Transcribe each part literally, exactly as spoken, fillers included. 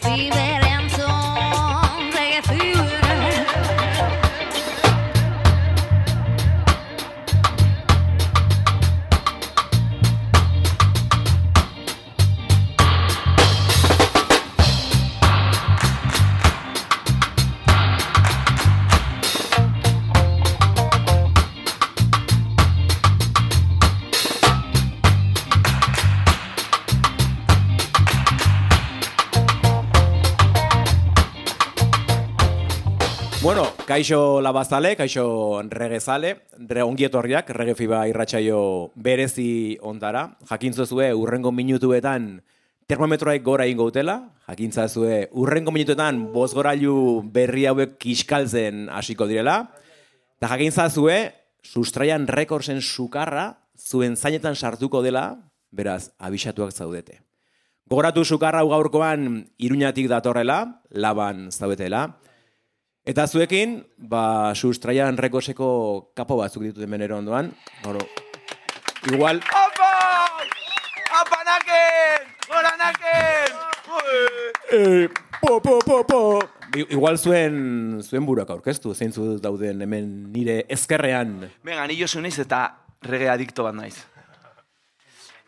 fever entzun, reggae fever. Bueno, kaixo labazale, kaixo regezale, re ongietorriak, rege fiba irratsaio berezi ontara. Jakintzazue urrengo minutuetan termometroek gora ingo utela, jakintzazue urrengo minutuetan bozgorailu berri hauek kiskaltzen hasiko direla, eta jakintzazue Sustraian Recordsen sukarra zuen zainetan sartuko dela, beraz, abisatuak zaudete. Gogoratu sukarra hau gaurkoan Iruñatik datorrela, Laban zaudetela, eta zuekin, ba, Sustraian Recordseko kapo batzuk ditut hemen ero ondoan. Bueno, igual... Opa! Opa naken! Gora naken! Eh, po, po, po, po! Igual zuen, zuen buruak aurkeztu, zeintzu dauden hemen nire ezkerrean. Venga, ni Josu naiz eta reggae adikto bat naiz.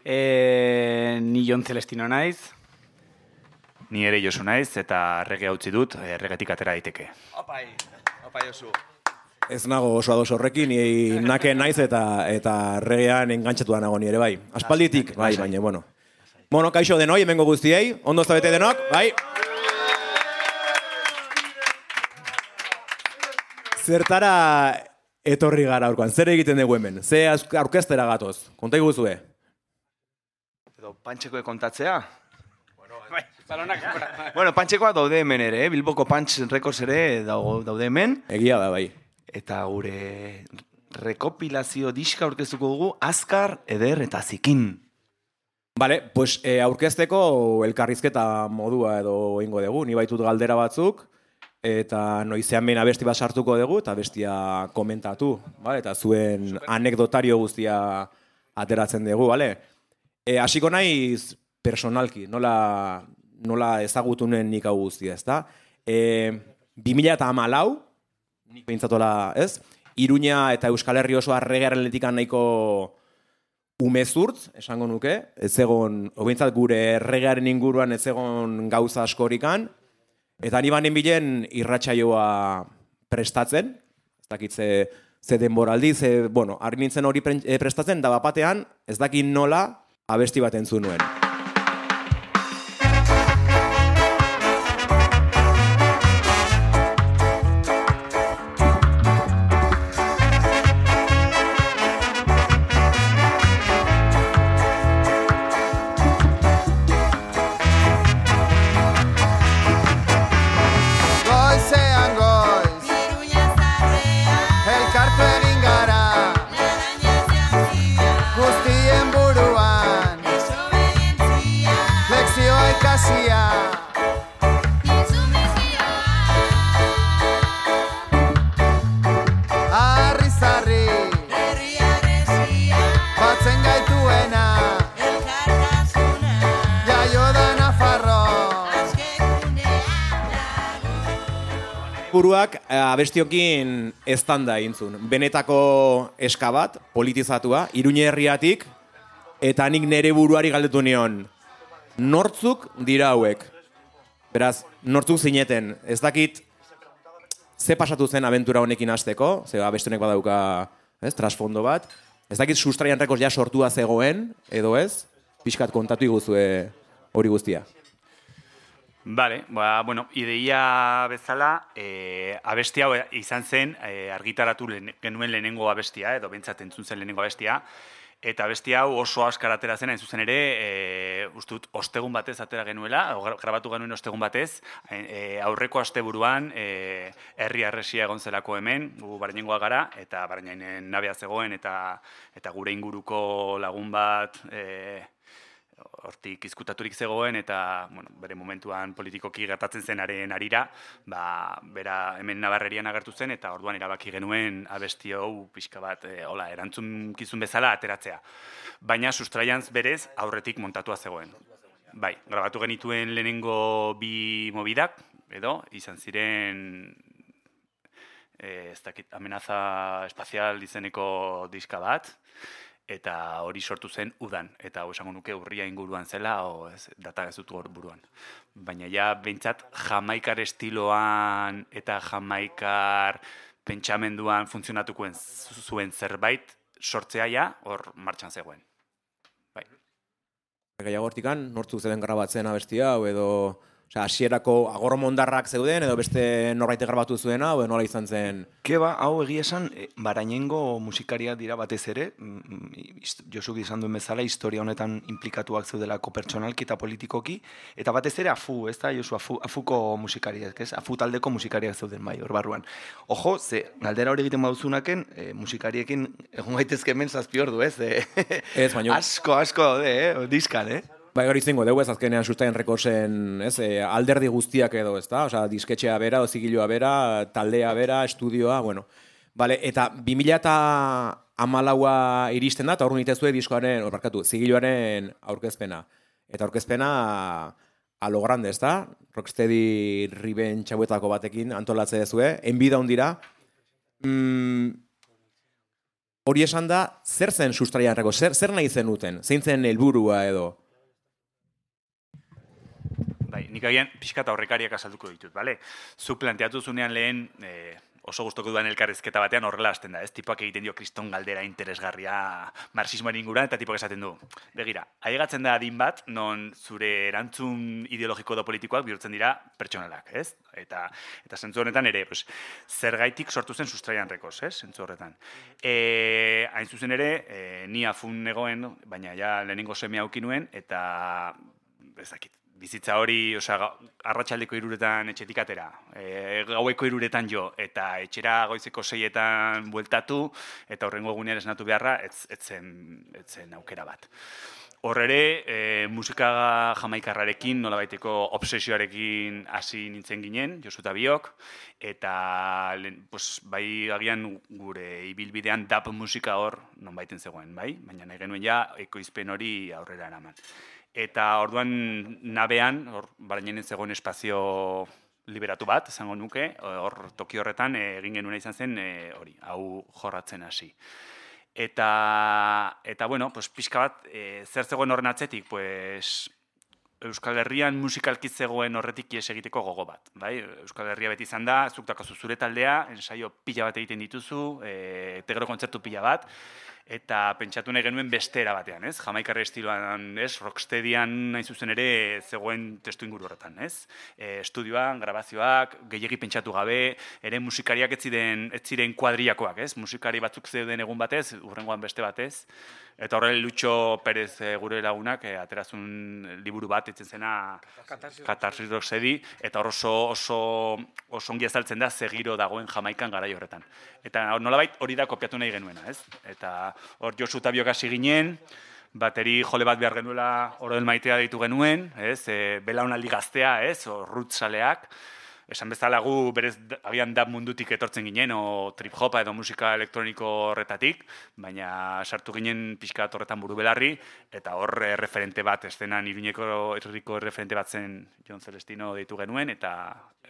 E, ni Jon Celestino naiz. Ni ere Josu naiz eta reggae utzi dut, reggaetik atera daiteke. Opai, opa Josu. Ez nago oso ados horrekin, ni nake naiz eta eta reggaean engantzatu nago ni ere bai. Aspalditik, bai, baina, bueno. Bueno, kaixo denoi, hemengo guztiei, ondo zabete denok, bai. Zertara etorri gara aurkoan, zer egiten dugu hemen? Ze aurkeztera gatoz? Konta iguzue. Edo pantxekoe kontatzea? Balonak. Bueno, pantxekoa daude hemen ere, eh? Bilboko Punch Records ere daude hemen. Egia da, bai. Eta gure rekopilazio diska aurkeztuko dugu, azkar, eder eta zikin. Vale, pues eh, aurkezteko elkarrizketa modua edo ingo dugu. Ni baitut galdera batzuk, eta noizean behin abesti bat sartuko dugu, eta bestia komentatu, vale? Eta zuen anekdotario guztia ateratzen dugu, vale? E, hasiko naiz personalki, nola, nola ezagutunen nik hau guztia, ezta? E, bi mila hamalau, nik behintzatola, ez? Iruña eta Euskal Herri osoa reggaearen letikan nahiko umezurtz, esango nuke, ez egon, obeintzat gure reggaearen inguruan ez egon gauza askorikan, eta ni banen bilen irratsaioa prestatzen, ez dakit ze, ze denboraldi, ze, bueno, harri nintzen hori prestatzen, da bapatean, ez dakit nola abesti bat entzun nuen. Buruak abestiokin eztanda intzun. Benetako eska bat, politizatua, Iruña herriatik, eta nik nere buruari galdetu nion. Nortzuk dira hauek? Beraz, nortzuk zineten. Ez dakit ze pasatu zen abentura honekin hasteko, ze abestionek badauka, ez, trasfondo bat. Ez dakit Sustraian Records ja sortua zegoen, edo ez? Pixkat kontatu iguzue hori guztia. Bale, ba, bueno, ideia bezala, e, abesti hau izan zen, e, argitaratu lehen, genuen lehenengo abestia, edo bentsat entzun zen lehenengo abestia, eta abesti hau oso askar atera zen, hain zuzen ere, e, ustut, ostegun batez atera genuela, grabatu genuen ostegun batez, e, aurreko asteburuan, e, herri arresia egon zelako hemen, gu Baranengoa gara, eta Barainen nabea zegoen, eta, eta gure inguruko lagun bat, e, hortik izkutaturik zegoen eta bueno, bere momentuan politikoki gertatzen zenaren arira, ba, bera hemen Nabarrerian agertu zen eta orduan erabaki genuen abesti hau pixka bat e, hola, erantzunkizun bezala ateratzea. Baina Sustraian berez aurretik montatua zegoen. bai, grabatu genituen lehenengo bi mobidak, edo, izan ziren, eh, ez dakit, amenaza espazial izeneko diska bat, eta hori sortu zen udan, eta hau esango nuke urria inguruan zela, o ez, data ez dut hor buruan. Baina ja, behintzat, jamaikar estiloan eta jamaikar pentsamenduan funtzionatukoen zuen zerbait sortzea ja, hor martxan zegoen. Bai. Gehiago hortikan, nortzuk zeuden grabatzen abesti hau, edo osea, hasierako agormondarrak zeuden, edo beste norbaitek grabatu zuena, edo nola izan zen? Keba, hau egia esan, eh, Barainengo musikariak dira batez ere, mm, ist- Josuk izan duen bezala, historia honetan implikatuak zeudelako pertsonalki eta politikoki, eta batez ere afu, ez da, Josu, afu, afuko musikariak, ez? Afu taldeko musikariak zeuden bai, hor barruan. Ojo, ze, galdera hori egiten baduzunaken, eh, musikariekin egon gaitezke hemen zazpi ordu, ez? Eh, Ez, baino- asko, asko daude, eh? Diskan, eh? Bai, hori izango dugu ez azkenean sustaien rekorsen, ez, e, alderdi guztiak edo, ez da? Osea, disketxea bera, ozigilua bera, taldea bera, estudioa, bueno. Vale, eta bi mila hamalaua iristen da, eta hor nitezue diskoaren, hor barkatu, zigiluaren aurkezpena. Eta aurkezpena a lo grande, ez da? Rocksteady Riben txabuetako batekin antolatze dezue, enbida hondira. Mm, hori esan da, zer zen sustraian rekord, zer, zer nahi zenuten, zein zen helburua edo? Bai, nik agian pixka eta horrekariak azalduko ditut, bale? Zuk planteatu zunean lehen, eh, oso gustoko dudan elkarrizketa batean horrela hasten da, ez? Tipoak egiten dio kriston galdera interesgarria marxismoaren inguruan, eta tipoak esaten du. Begira, ailegatzen da adin bat, non zure erantzun ideologiko edo politikoak bihurtzen dira pertsonalak, ez? Eta, eta zentzu honetan ere, pues, zergaitik sortu zen Sustraian Records, ez? Zentzu horretan. E, hain zuzen ere, e, ni afun negoen, baina ja lehenengo seme auki nuen, eta ezakit, bizitza hori, osea, arratsaldeko hiruretan etxetik atera, e, gaueko hiruretan jo, eta etxera goizeko seietan bueltatu, eta horrengo egunean esnatu beharra, ez, ez, zen, ez zen aukera bat. Hor ere, e, musika jamaikarrarekin, nolabaiteko obsesioarekin hasi nintzen ginen, Josu eta biok, eta lehen, pues, bai agian gure ibilbidean dub musika hor nonbaiten zegoen, bai? Baina nahi genuen ja ekoizpen hori aurrera eraman. Eta orduan nabean, hor Barainen zegoen espazio liberatu bat, esango nuke, hor toki horretan e, egin genuena izan zen e, hori, hau jorratzen hasi. Eta, eta bueno, pues, pixka bat, e, zer zegoen horren atzetik, pues, Euskal Herrian musikalki zegoen horretik ies egiteko gogo bat. Bai? Euskal Herria beti izan da, zuk dakazu zure taldea, ensaio pila bat egiten dituzu, e, tegero kontzertu pila bat, eta pentsatu nahi genuen bestera batean, ez? Jamaikarra estiloan, ez? Rocksteadyan nahi zuzen ere zegoen testu inguru horretan, ez? E, estudioan, grabazioak, gehiegi pentsatu gabe, ere musikariak ez ziren, ez ziren kuadriakoak, ez? Musikari batzuk zeuden egun batez, urrengoan beste batez. Eta horre Lutxo Perez e, gure lagunak e, aterazun liburu bat etzen zena Katarsis Rocksteady, eta hor oso, oso, oso ongi azaltzen da zegiro dagoen Jamaikan garai horretan. Eta nolabait hori da kopiatu nahi genuena, ez? Eta hor Josu eta biok hasi ginen, bateri jole bat behar genuela Oroel Maitea deitu genuen, ez? E, belaunaldi gaztea, ez? O rutzaleak. Esan bezala gu berez agian dub mundutik etortzen ginen, o trip-hopa edo musika elektroniko horretatik, baina sartu ginen pixka horretan buru belarri, eta hor eh, referente bat, estenan Iruñeko herriko referente bat zen Jon Celestino deitu genuen, eta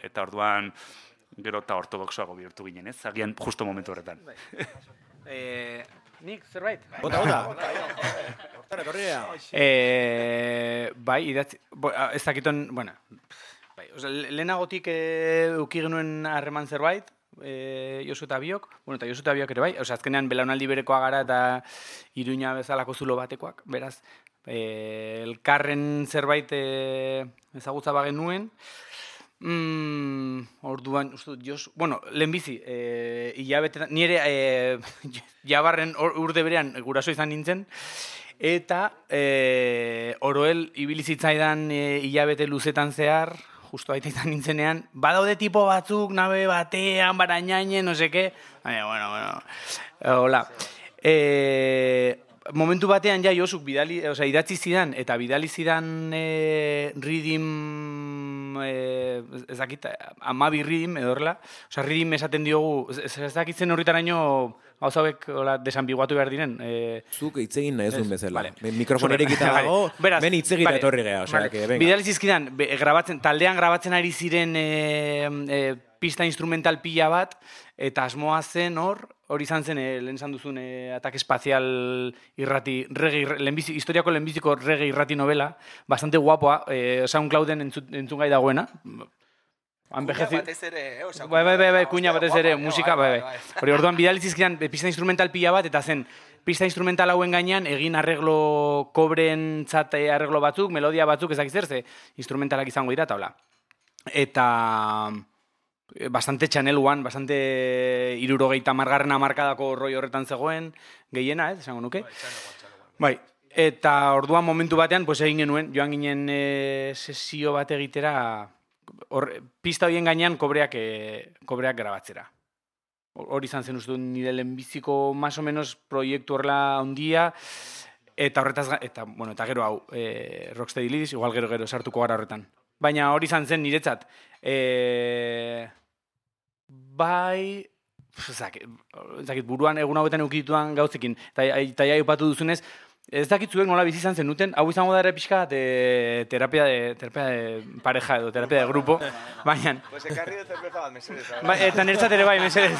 eta orduan gero eta ortodoxoago bihurtu ginen, ez? Agian justo momentu horretan. Eh, nik, zerbait? Bota, bota! Hortara, etorria! Eh, bai, idatzi, bo, ez dakiton, bueno, bai, oza, lehenagotik e, uki genuen harreman zerbait, e, Josu eta biok, bueno, eta Josu eta biok ere bai, oza, azkenean belaunaldi berekoa gara eta Iruña bezalako zulo batekoak, beraz, e, elkarren zerbait e, ezagutza bagen nuen, Mm, orduan, uste dut, Josu, bueno, lehenbizi, e, hilabete, nire e, jabarren urde berean guraso izan nintzen, eta e, Oroel ibilizitzaidan e, hilabete luzetan zehar, justo baita izan nintzenean, badaude tipo batzuk, nabe batean, Barainainen, no seke, baina, bueno, bueno, hola. E, momentu batean ja Josuk bidali, osea, idatzi zidan, eta bidali zidan e, Ridim, e, ez dakit, amabi Ridim, edo horrela, osea, Ridim esaten diogu, ez, ez dakitzen horretaraino gauza hauek hola desambiguatu behar diren. E, Zuk hitz egin nahi zuen bezala. vale. Mikrofon irekita Vale. dago, Beraz, ben hitz egira vale, etorri geha, osea, vale. que venga. Bidali zizkidan, be- grabatzen, taldean grabatzen ari ziren e, e, pista instrumental pila bat, eta asmoa zen hor, hori izan zen, e, lehen esan duzun, e, Ataque Espacial irrati, reggae, lehenbizi, historiako lehenbiziko reggae irrati novela, bastante guapoa, e, SoundClouden entzun, entzun gai dagoena, Anbejezi... ere, oza, Bai, bai, bai, bai, kuña batez ere, musika, bai, bai. Hori, orduan, bidalizizkidan, pista instrumental pila bat, eta zen, pista instrumental hauen gainean, egin arreglo kobren txat arreglo batzuk, melodia batzuk, ezak zer, ze instrumentalak izango dira, eta hola. Eta bastante Channel One, bastante irurogeita margarren amarkadako roi horretan zegoen, gehiena, ez, esango nuke. Bai, eta orduan momentu batean, pues egin genuen, joan ginen e, sesio bat egitera, Or, pista horien gainean kobreak, e, kobreak grabatzera. Hori izan zen uste nire lehenbiziko más o menos proiektu horrela handia, eta horretaz, eta, bueno, eta gero hau, e, Rocksteady Ladies, igual gero gero sartuko gara horretan. Baina hori izan zen niretzat, e, bai, zakit, zakit, buruan egun hauetan eukituan gauzekin, eta, eta ja upatu duzunez, ez dakit zuek nola bizi izan zenuten, hau izango da ere pixka de terapia de, terapia de pareja edo terapia de grupo, baina... Pues ekarri de cerveza bat, mesedez. Ba, eta niretzat ere bai, mesedez.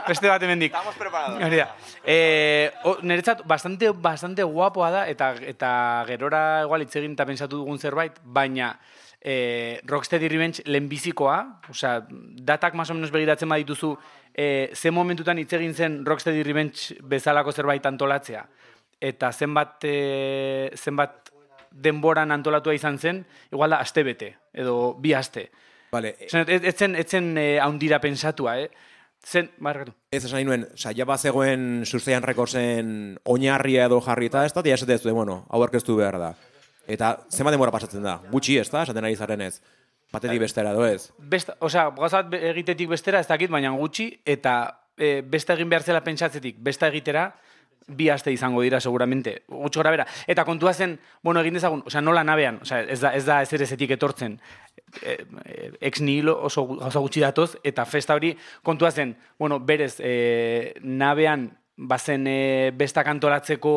Beste bat hemendik. Estamos preparados. Hori da. Eh, o, niretzat bastante, bastante guapoa da, eta, eta gerora igual hitz egin eta pensatu dugun zerbait, baina eh, Rocksteady Revenge lehenbizikoa, osea, datak más o menos begiratzen badituzu, eh, ze momentutan hitz egin zen Rocksteady Revenge bezalako zerbait antolatzea, eta zenbat, e, zenbat denboran antolatua izan zen, igual da, aste bete, edo bi aste. Vale. Zen, ez, ez zen, ez zen e, haundira pensatua, eh? Zen, barkatu. Ez esan nahi nuen, saia bat zegoen Sustraian Recordsen oinarria edo jarrita, ez da, tia esatea zuen, bueno, hau aurkeztu behar da. Eta zenbat denbora pasatzen da? Gutxi, ez da, esaten ari zaren ez? Batetik bestera, edo ez? Besta, osea, gauzat egitetik bestera, ez dakit, baina gutxi, eta e, besta egin behar zela pentsatzetik, besta egitera, bi aste izango dira seguramente, gutxo gara bera. Eta kontua zen, bueno, egin dezagun, osea, nola nabean, osea, ez da ez da ezer ezetik etortzen. E, e, ex nihilo oso gauza gutxi datoz, eta festa hori kontua zen, bueno, berez, e, nabean bazen e, bestak antolatzeko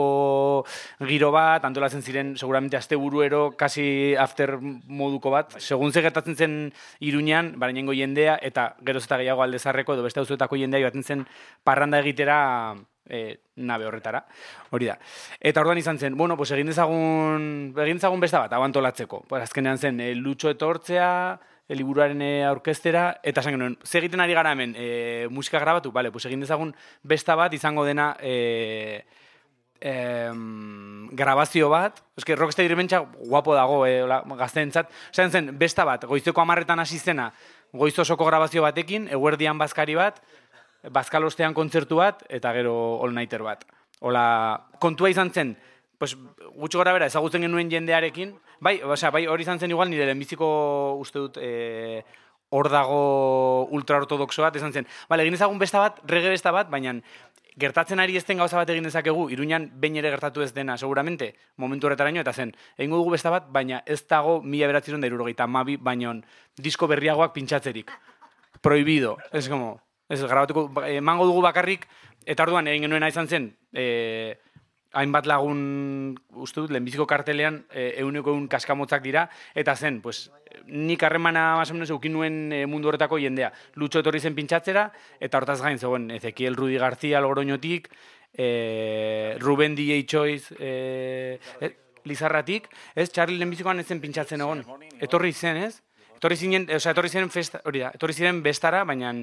giro bat, antolatzen ziren seguramente asteburuero, kasi after moduko bat, segun ze gertatzen zen Iruñan, barainengo jendea, eta geroz eta gehiago Aldezarreko edo beste auzoetako jendea joaten zen parranda egitera e, nabe horretara, hori da. Eta orduan izan zen, bueno, pues egin dezagun, egin dezagun besta bat, hau antolatzeko. Pues azkenean zen, e, Lutxo etortzea, e, liburuaren e, aurkeztera, eta esan genuen, ze egiten ari gara hemen, e, musika grabatu, bale, pues egin dezagun besta bat izango dena e, e, grabazio bat, eske Rocksteady Revenge guapo dago, e, gazteentzat, esan zen, besta bat, goizeko hamarretan hasi zena, goiz osoko grabazio batekin, eguerdian bazkari bat, bazkalostean kontzertu bat, eta gero all nighter bat. Hola, kontua izan zen, pues, gutxo gara bera, ezagutzen genuen jendearekin, bai, osea, bai, hori izan zen igual, nire lehenbiziko uste dut, eh, hor dago ultraortodoxo bat, izan zen, bale, egin ezagun besta bat, reggae besta bat, baina gertatzen ari ez den gauza bat egin dezakegu, Iruñan behin ere gertatu ez dena, seguramente, momentu horretaraino, eta zen, egingo dugu besta bat, baina ez dago mila bederatziehun eta hirurogeita hamabi, baina disko berriagoak pintxatzerik. Prohibido, ez como... Ez, grabatuko, emango dugu bakarrik, eta orduan egin genuena izan zen, e, hainbat lagun, uste dut, lehenbiziko kartelean, e, euneko eun kaskamotzak dira, eta zen, pues, nik harremana más o menos eukin nuen e, mundu horretako jendea. Lutxo etorri zen pintxatzera, eta hortaz gain zegoen, Ezequiel Rudi García Logroñotik, e, Ruben D J Choice, e, e, Lizarratik, ez, Charlie lehenbizikoan ez zen pintxatzen egon. Etorri zen, ez? Etorri zinen, o sea, etorri ziren festa, hori da, etorri ziren bestara, baina...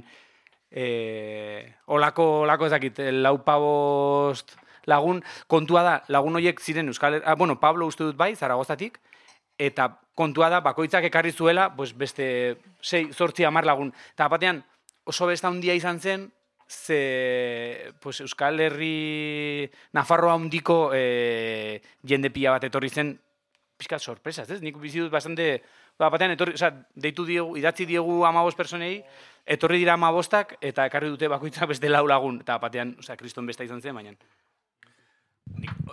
E, olako, olako ezakit, lau pabost lagun, kontua da, lagun horiek ziren Euskal Herria, ah, bueno, Pablo uste dut bai, Zaragozatik, eta kontua da, bakoitzak ekarri zuela, pues beste sei, zortzi, hamar lagun. Eta batean, oso besta handia izan zen, ze, pues Euskal Herri, Nafarroa handiko e, jende pila bat etorri zen, pixka sorpresaz, ez? Nik bizi dut bastante, batean, etorri, o sea, deitu diegu, idatzi diegu hamabost personei, etorri dira hamabostak, eta ekarri dute bakoitzak beste lau lagun, eta batean, osea, kriston besta izan zen, baina.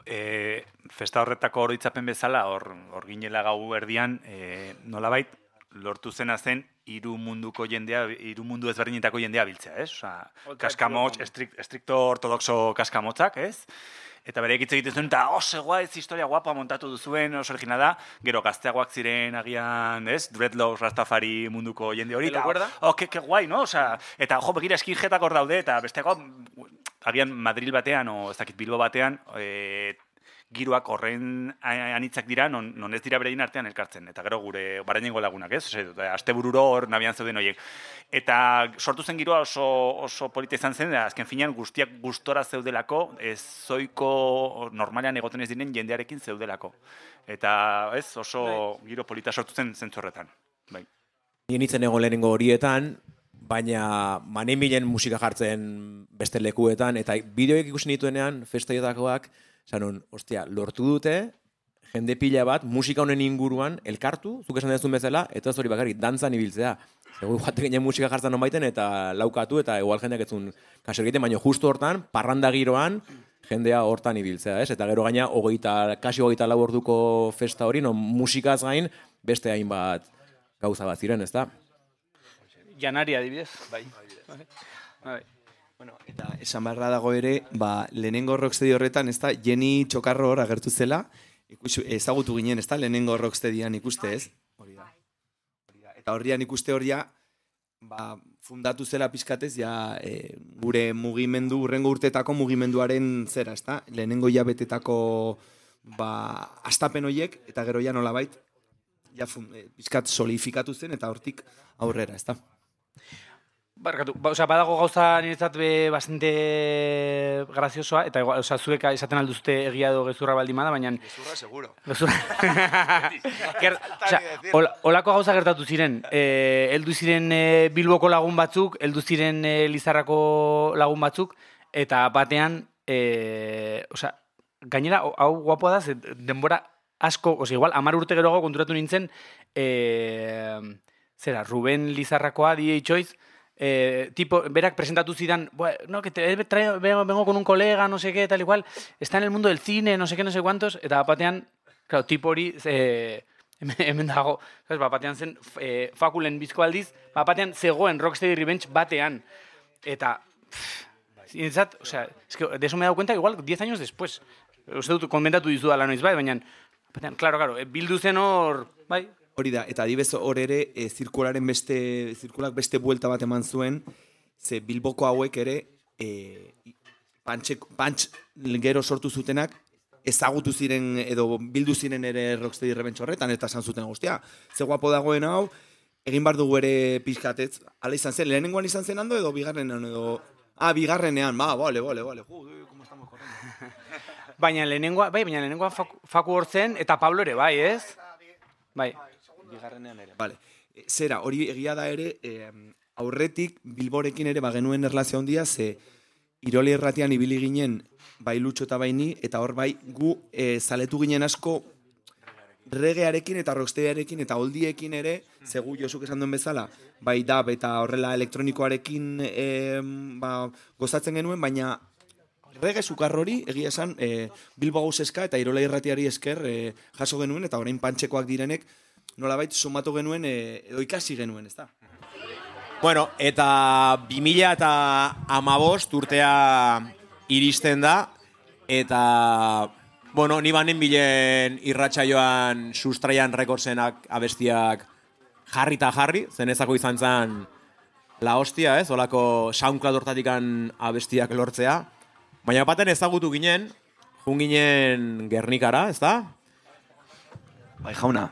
E, festa horretako oroitzapen bezala, hor, hor ginela gau erdian, e, nolabait, lortu zena zen hiru munduko jendea, hiru mundu ezberdinetako jendea biltzea, ez? Osea, kaskamots, estrikt, estrikto ortodoxo kaskamotzak, ez? Eta bere hitz egiten zuen, eta oso guai, ez historia guapa montatu duzuen, oso originala da, gero gazteagoak ziren agian, ez? Dreadlocks, Rastafari munduko jende hori. ¿Te lo acuerdas? Oh, que, que guai, no? Osea, eta jo, begira, skinheadak hor daude, eta besteako, agian Madril batean, o ez dakit Bilbo batean, e, giroak horren anitzak dira, non, non ez dira berein artean elkartzen. Eta gero gure barainengo lagunak, ez? Ose, astebururo hor nabian zeuden horiek. Eta sortu zen giroa oso, oso polita izan zen, da azken finean guztiak gustora zeudelako, ez zoiko normalean egoten ez diren jendearekin zeudelako. Eta ez, oso giro polita sortu zen zentzu horretan. Bai. Nien itzen egon lehenengo horietan, baina manen bilen musika jartzen beste lekuetan, eta bideoek ikusi nituenean, festaiotakoak, zanon, ostia, lortu dute, jende pila bat, musika honen inguruan, elkartu, zuk esan dezun bezala, eta ez hori bakarrik, dantzan ibiltzea. Ego joate ginen musika jartzen non baiten, eta laukatu, eta igual jendeak etzun kaso egiten, baina justu hortan, parranda giroan, jendea hortan ibiltzea, ez? Eta gero gaina, hogeita, kasi hogeita lau orduko festa hori, non musikaz gain, beste hainbat gauza bat ziren, ez da? Janari adibidez. Bai. Bai. Bueno, eta esan beharra dago ere, ba, lehenengo rocksteady horretan, ez da, Jenny Txokarro hor agertu zela, ikus, ezagutu ginen, ez da, lehenengo rocksteadyan ikuste, ez? Hori da. Hori da. Eta horrian ikuste horia, ba, fundatu zela pizkatez, ja, e, gure mugimendu, urrengo urtetako mugimenduaren zera, ez da? Lehenengo jabetetako, ba, astapen horiek, eta gero ja nolabait, ja, fun, e, pizkat solidifikatu zen, eta hortik aurrera, ez da? Barkatu, ba, osea, badago gauza niretzat be bastante graziosoa, eta igual, osea, zuek esaten alduzte egia edo gezurra baldin bada, baina... Gezurra, seguro. Gezurra. Ger, osea, ol, olako gauza gertatu ziren. Eh, heldu ziren eh, Bilboko lagun batzuk, heldu ziren eh, Lizarrako lagun batzuk, eta batean, eh, osea, gainera, hau guapoa da, ze denbora asko, osea, igual, amar urte geroago konturatu nintzen, eh, zera, Ruben Lizarrakoa, D J Choice, Eh, tipo, berak presentatu zidan, no, que te traigo, vengo con un colega, no sé qué, tal y cual, está en el mundo del cine, no sé qué, no sé cuántos, eta batean, claro, tipo hori, eh, hemen dago, ¿sabes? Batean zen, eh, fakulen bizko aldiz, batean zegoen Rocksteady Revenge batean, eta, zintzat, o sea, es que de eso me he dado cuenta igual diez años después, uste dut, komentatu dizu dala noiz bai, baina, batean, claro, claro, bildu zen hor, bai, hori da, eta adibez hor ere, e, zirkularen beste, zirkulak beste buelta bat eman zuen, ze Bilboko hauek ere, e, pantxe, pantx gero sortu zutenak, ezagutu ziren, edo bildu ziren ere Rocksteady Revenge horretan, eta esan zuten guztia. Ze guapo dagoen hau, egin bar dugu ere pizkatez, ala izan zen, lehenengoan izan zen ando, edo bigarrenean, edo... Ah, bigarrenean, ba, bale, bale, bale, ju, como estamos corriendo. Baina lehenengoa, bai, baina lehenengoa faku, faku hortzen, eta Pablo ere, bai, ez? Bai. Bigarrenean ere. Vale. Zera, hori egia da ere, eh, aurretik Bilborekin ere bagenuen erlazio handia, ze Iroli erratian ibili ginen bai Lutxo eta bai ni, eta hor bai gu eh, zaletu ginen asko regearekin eta rockstearekin eta oldiekin ere, ze gu Josuk esan duen bezala, bai dab eta horrela elektronikoarekin eh, ba, gozatzen genuen, baina rege sukarrori, egia esan, eh, Bilbo Gauzeska eta Irola irratiari esker eh, jaso genuen, eta orain pantxekoak direnek, nolabait sumatu genuen, e, edo ikasi genuen, ez da? Bueno, eta bi mila eta hamabost urtea iristen da, eta, bueno, ni banen bilen irratsaioan sustraian rekordzenak abestiak jarri eta jarri, zenezako izan zen la hostia, ez? Olako SoundCloud hortatikan abestiak lortzea. Baina baten ezagutu ginen, jun ginen Gernikara, ez da? Bai, jauna.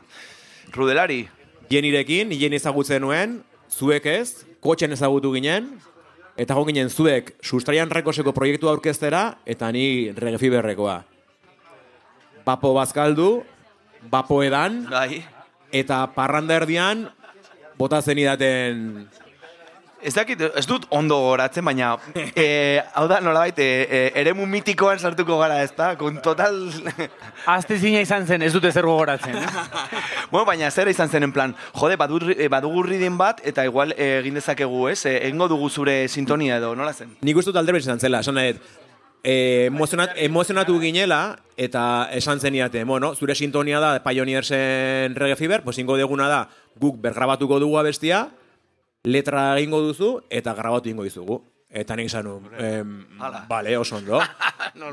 Rudelari. Jenirekin, jen ezagutzen nuen, zuek ez, kotxen ezagutu ginen, eta jo ginen zuek sustraian rekoseko proiektua aurkeztera, eta ni Regefiberrekoa. Bapo bazkaldu, bapo edan, Bai. eta parranda erdian, bota zenidaten... Ez dakit, ez dut ondo goratzen, baina e, hau da nolabait, e, e, eremu mitikoan sartuko gara, ez da? Con total... Azte zina izan zen, ez dute zer gogoratzen. Bueno, baina zera izan zen en plan, jode, badugu ridin bat, eta igual e, egin dezakegu, ez? E, egingo dugu zure sintonia edo, nola zen? Nik uste dut alderbet izan zela, esan nahet, e, emozionat, emozionatu ginela, eta esan zeniate, bueno, zure sintonia da Pioneersen Reggae Fever, pues ingo deguna da guk bergrabatuko dugu abestia, letra egingo duzu, eta grabatu egingo dizugu. Eta nik izan nun, em, bale, oso ondo.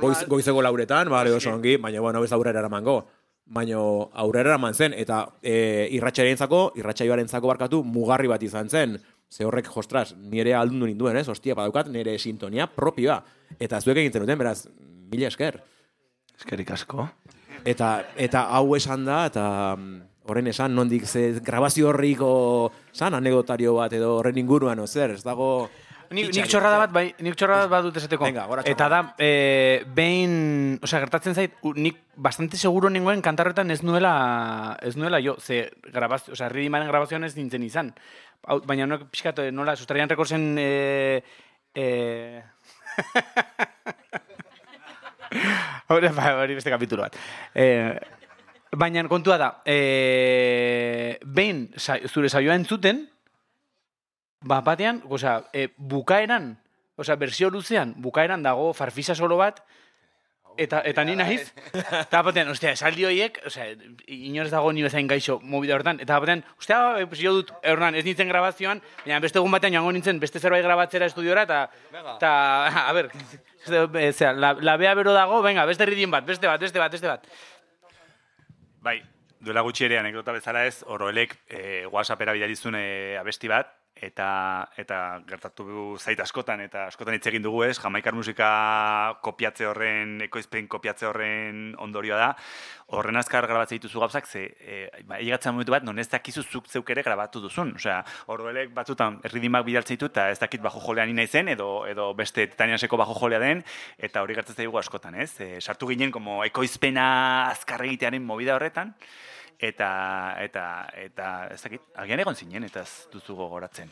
Goiz, goizeko lauretan, bale, oso ongi, baina, bueno, ez aurrera eramango. Baina aurrera eraman zen, eta e, irratxarentzako, irratxaioarentzako barkatu, mugarri bat izan zen. Ze horrek, jostras, nire aldundu ninduen, ez? Ostia, badaukat, nire sintonia propioa. Eta zuek egiten duten, beraz, mila esker. Eskerik asko. Eta, eta hau esan da, eta horren esan, nondik ze grabazio horriko, zan, anekdotario bat, edo horren inguruan, ozer, ez dago... Nik, nik txorrada bat, bai, nik txorrada bat dut esateko. Venga, gora eta da, e, behin, osea, gertatzen zait, u, nik bastante seguro nengoen kantarretan ez nuela, ez nuela jo, ze grabazio, osea, ridimaren grabazioan ez nintzen izan. Hau, baina noak pixkat, nola, sustraian rekorsen, e, e... hori, hori beste kapitulo bat. E, baina kontua da, e, behin sa, zure saioa entzuten, ba, batean, osea, e, bukaeran, osea, bersio luzean, bukaeran dago farfisa solo bat, eta eta ni naiz, eta batean, ostia, esaldi horiek, osea, inorez dago ni bezain gaixo mobida hortan, eta batean, ostia, pues, jo dut, erran, ez nintzen grabazioan, baina beste egun batean joango nintzen, beste zerbait grabatzera estudiora, eta, eta, a ber, zera, la, la bea bero dago, venga, beste ridin bat, beste bat, beste bat, beste bat. Bai, duela gutxi ere anekdota bezala ez, Oroelek e, WhatsAppera bidalizun e, abesti bat, eta eta gertatu zait askotan, eta askotan hitz egin dugu ez, jamaikar musika kopiatze horren, ekoizpen kopiatze horren ondorioa da, horren azkar grabatzen dituzu gauzak, ze, e, ba, egatzen momentu bat, non ez dakizu zuk zeuk ere grabatu duzun. Osea, Oroelek batzutan erridimak bidaltzen ditu, eta ez dakit bajo jolean ina izen, edo, edo beste Titaniaseko bajo jolea den, eta hori gertatzen dugu askotan, ez? E, sartu ginen, como ekoizpena azkar egitearen movida horretan, eta, eta, eta, ez dakit, agian egon zinen, eta ez duzu gogoratzen.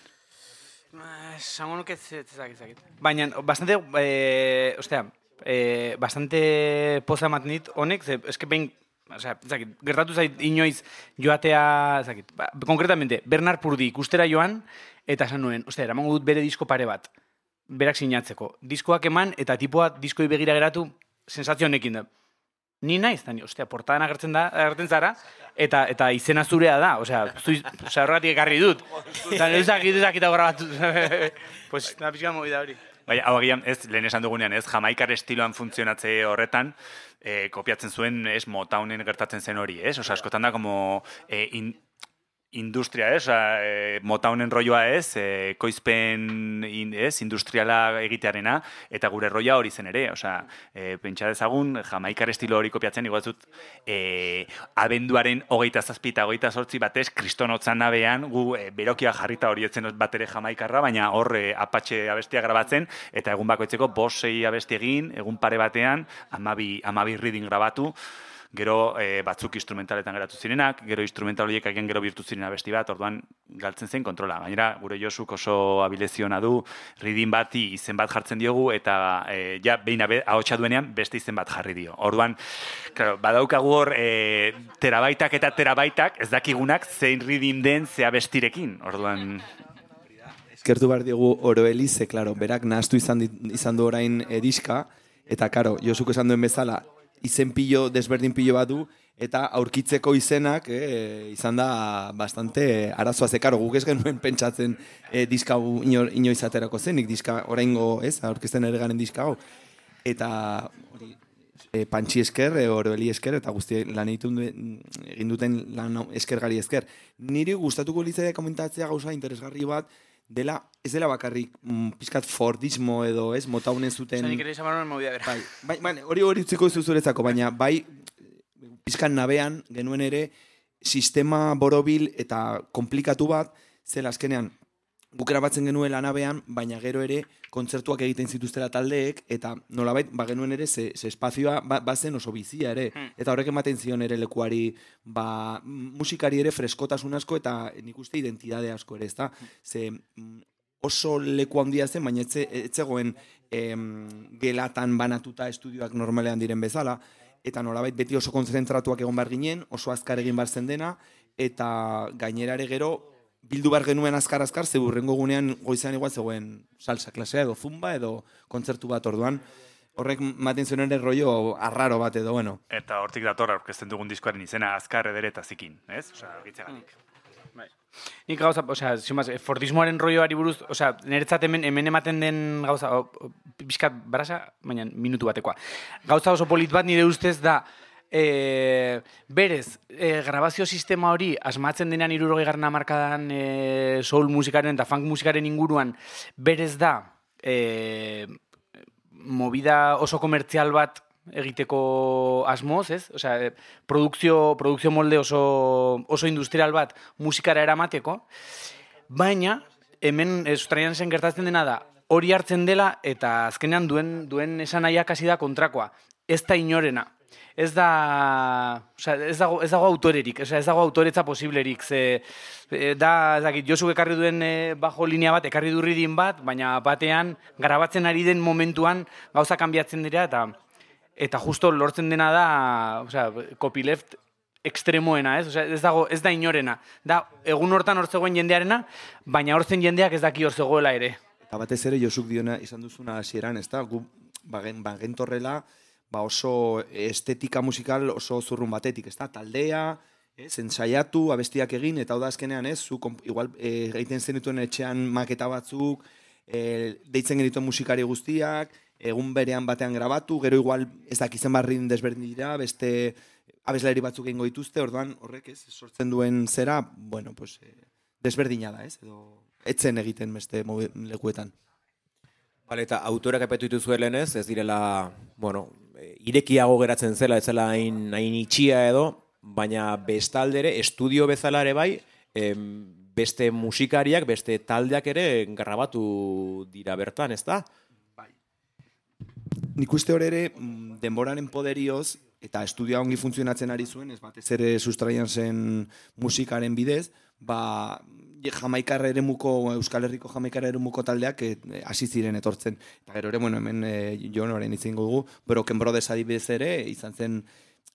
Esango nuke ez dakit. Baina, bastante, eh, ostea, eh, bastante poza ematen dit honek, ze, eske behin, osea, ez dakit, gertatu zait inoiz joatea, ez dakit, ba, konkretamente, Bernard Purdy ikustera joan, eta esan nuen, ostea, eramango dut bere disko pare bat, berak sinatzeko. Diskoak eman, eta tipoa diskoi begira geratu, sensazio honekin da. Ni naiz, tani, ostia, portadan agertzen da, agertzen zara, eta eta izena zurea da, osea, zu, osea, horregatik ekarri dut. Eta ezak, ezak eta grabatu. Pues, na pixka movida hori. Baina, hau agian, ez, lehen esan dugunean, ez, jamaikar estiloan funtzionatze horretan, e, kopiatzen zuen, ez, Motownen gertatzen zen hori, ez? Osea, askotan da, como, e, in, industria, ez, Osa, e, Motownen rolloa ez, e, koizpen in, ez, industriala egitearena, eta gure roia hori zen ere, osea, e, pentsa dezagun, jamaikar estilo hori kopiatzen, igual zut, e, abenduaren hogeita zazpi eta hogeita zortzi batez, kristonotzan nabean, gu e, berokia jarrita hori etzen bat ere jamaikarra, baina hor e, apatxe abestia grabatzen, eta egun bakoitzeko bost sei abesti egin, egun pare batean, amabi, amabi reading grabatu, gero e, batzuk instrumentaletan geratu zirenak, gero instrumental horiek agian gero birtu ziren abesti bat, orduan galtzen zen kontrola. Gainera, gure Josuk oso abileziona du, reading bati izen bat jartzen diogu, eta e, ja, behin ahotsa duenean beste izen bat jarri dio. Orduan, claro, badaukagu hor e, terabaitak eta terabaitak, ez dakigunak zein reading den ze abestirekin. Orduan... Eskertu behar diogu Oroeli, ze, claro, berak nahaztu izan, izan du orain ediska, eta, claro, Josuk esan duen bezala, izen pilo, desberdin pilo bat du, eta aurkitzeko izenak eh, izan da bastante arazoa zekaro. Guk ez genuen pentsatzen eh, diska inoiz aterako zenik, diska oraingo, ez, aurkezten ere garen diska hau. Eta hori, e, Pantxi esker, e, Oroeli esker, eta guzti lan egin duten lan eskergari esker. Niri gustatuko litzaiak komentatzea gauza interesgarri bat, dela, ez dela bakarrik mm, pizkat Fordismo edo, ez, Motownen zuten... Zanik ere izan movida bera. Bai, bai, bai, hori hori utziko ez zuretzako, baina bai, pizkan nabean genuen ere sistema borobil eta komplikatu bat, zela azkenean, gukera batzen genuela nabean, baina gero ere kontzertuak egiten zituztela taldeek, eta nolabait, ba genuen ere, ze, ze espazioa ba, bazen oso bizia ere, hmm. eta horrek ematen zion ere lekuari, ba, musikari ere freskotasun asko, eta nik uste identidade asko ere, ezta? Ze oso leku handia zen, baina etze, etzegoen em, gelatan banatuta estudioak normalean diren bezala, eta nolabait beti oso konzentratuak egon behar ginen, oso azkar egin behar zen dena, eta gainerare gero, bildu behar genuen azkar-azkar, ze burrengo gunean goizean igual zegoen salsa klasea edo zumba edo kontzertu bat orduan. Horrek maten zuen ere rollo arraro bat edo, bueno. Eta hortik dator aurkezten dugun diskoaren izena azkar edere eta zikin, ez? Osea, gitzegatik. Nik gauza, osea, zimaz, Fordismoaren rolloari buruz, osea, niretzat hemen, hemen ematen den gauza, o, o, pixkat barasa, baina minutu batekoa. Gauza oso polit bat nire ustez da, e, berez, e, grabazio sistema hori asmatzen denean hirurogei garren hamarkadan e, soul musikaren eta funk musikaren inguruan, berez da, e, movida oso komertzial bat egiteko asmoz, ez? Osea, produkzio, produkzio molde oso, oso industrial bat musikara eramateko, baina hemen sustraian zen gertatzen dena da, hori hartzen dela eta azkenean duen, duen esanaiak hasi da kontrakoa. Ez da inorena. Ez da, osea, ez dago, ez dago autorerik, osea, ez dago autoretza posiblerik. Ze, da, ez dakit, Josuk ekarri duen e, bajo linea bat, ekarri du ridin bat, baina batean, garabatzen ari den momentuan gauza kanbiatzen dira eta eta justo lortzen dena da, osea, copyleft ekstremoena, ez? Osea, ez dago, ez da inorena. Da, egun hortan hor zegoen jendearena, baina hor zen jendeak ez daki hor zegoela ere. Eta batez ere Josuk diona izan duzuna hasieran, ezta? Gu bagen bagentorrela, ba oso estetika musikal oso zurrun batetik, ezta? Taldea, ez, ensaiatu, abestiak egin eta hau da azkenean, ez? Zu igual e, egiten zenituen etxean maketa batzuk, e, deitzen genituen musikari guztiak, egun berean batean grabatu, gero igual ez dakizen barrin desberdin dira, beste abeslari batzuk egingo dituzte, orduan horrek ez, sortzen duen zera, bueno, pues, eh, desberdina da, ez? Edo etzen egiten beste lekuetan. Bale, eta autorak apetu dituzuelen ez, ez direla, bueno, irekiago geratzen zela, ez zela hain, hain itxia edo, baina bestaldere, estudio bezala ere bai, em, beste musikariak, beste taldeak ere grabatu dira bertan, ez da? Nik uste hor ere, denboraren poderioz, eta estudioa ongi funtzionatzen ari zuen, ez batez ere sustraian zen musikaren bidez, ba, Jamaikar eremuko, Euskal Herriko Jamaikar eremuko taldeak hasi ziren etortzen. Eta gero ere, bueno, hemen e, Jon orain itzen dugu, Broken Brothers adibidez ere, izan zen,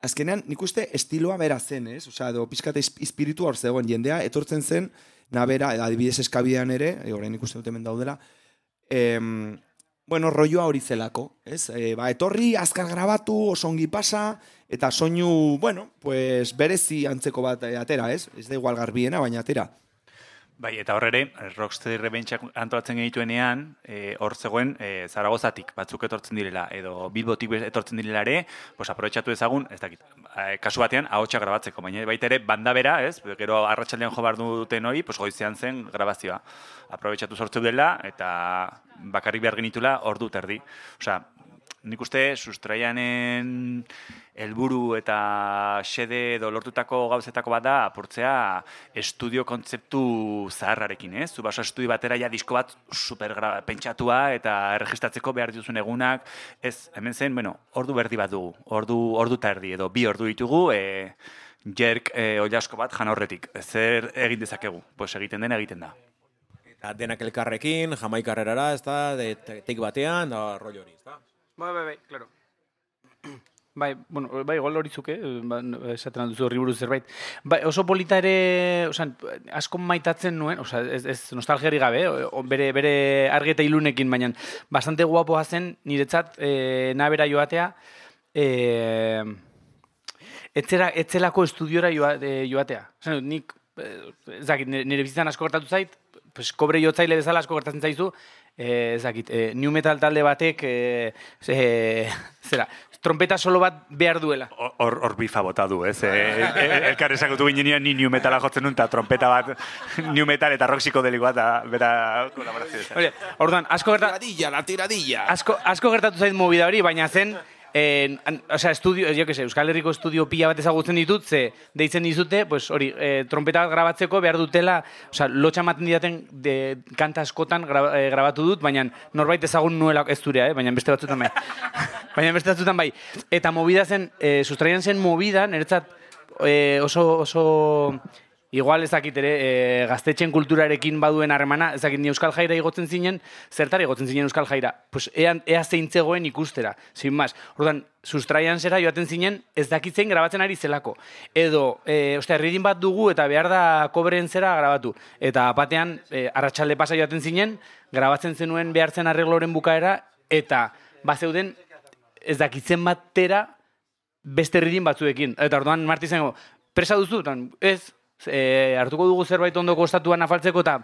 azkenean nik uste estiloa bera zen, ez? Osea, edo pizkate espiritua hor zegoen jendea, etortzen zen, nabera, adibidez eskabidean ere, e, orain ikusten dut hemen daudela, em, bueno, rolloa hori zelako, ez? E, ba, etorri, azkar grabatu, oso ongi pasa, eta soinu, bueno, pues berezi antzeko bat atera, ez? Ez da igual garbiena, baina atera. Bai, eta horre, Rocksteady Rebentzak antolatzen genituenean, e, hor zegoen e, Zaragozatik batzuk etortzen direla, edo Bilbotik etortzen direla ere, pues aprobetxatu ezagun, ez dakit, e, kasu batean, ahotsa grabatzeko, baina baita ere, banda bera, ez? Gero arratsaldean jo behar duten hori, pues goizean zen grabazioa. Aprobetxatu sortzeu dela, eta bakarrik behar genitula ordu terdi. Osea, nik uste sustraianen helburu eta xede edo lortutako gauzetako bat da apurtzea estudio kontzeptu zaharrarekin, ez? Zu baso estudio batera ja disko bat super pentsatua eta erregistratzeko behar dituzun egunak, ez, hemen zen, bueno, ordu berdi bat dugu, ordu, ordu eta erdi edo bi ordu ditugu, e, jerk e, oilasko bat jan horretik, zer egin dezakegu, pues egiten den egiten da. Eta denak elkarrekin, Jamaikarrerara, ez da, de teik batean, da rollo hori, ez da? Bai, bai, bai, claro. Bai, bueno, bai, gol hori zuke, ba, esaten duzu horri buruz zerbait. Bai, oso polita ere, osan, asko maitatzen nuen, osa, ez, ez nostalgiari gabe, o, bere, bere argi eta ilunekin, baina bastante guapoa zen niretzat e, nabera joatea, e, etzera, etzelako estudiora joa, e, joatea. Osan, nik, ez dakit, nire, nire bizitzan asko gertatu zait, pues, kobre jotzaile bezala asko gertatzen zaizu, eh, ez dakit, eh, new metal talde batek, eh, eh, zera, trompeta solo bat behar duela. Hor, hor bifa bota du, ez? Eh, elkar esakutu ginean ni new metala jotzen nun, eta trompeta bat, new metal eta rock psikodelikoa, eta bera kolaborazio. Orduan, asko gertatu... Tiradilla, la tiradilla! Asko, asko gertatu zait movida hori, baina zen... Eh, o sea, estudio, yo que sé, Euskal Herriko estudio pila bat ezagutzen ditut, ze deitzen dizute, pues hori, eh, trompeta bat grabatzeko behar dutela, o sea, lotxa ematen didaten de kanta askotan gra, eh, grabatu dut, baina norbait ezagun nuela ez durea, eh, baina beste batzutan bai. baina beste batzutan bai. Eta movida zen, eh, sustraian zen movida, niretzat eh, oso, oso... Igual ez dakit ere, e, gaztetxen kulturarekin baduen harremana, ez dakit ni Euskal Jaira igotzen zinen, zertara igotzen zinen Euskal Jaira? Pues ea, ea zeintzegoen ikustera, sin más. Orduan, sustraian zera joaten zinen, ez dakitzein grabatzen ari zelako. Edo, e, ostia, ridin bat dugu eta behar da kobreen zera grabatu. Eta batean, e, arratsalde pasa joaten zinen, grabatzen zenuen behartzen arregloren bukaera, eta bazeuden ez dakitzen batera beste ridin batzuekin. Eta orduan, Marti zengo, presa duzu? Ez... e, hartuko dugu zerbait ondo kostatuan afaltzeko eta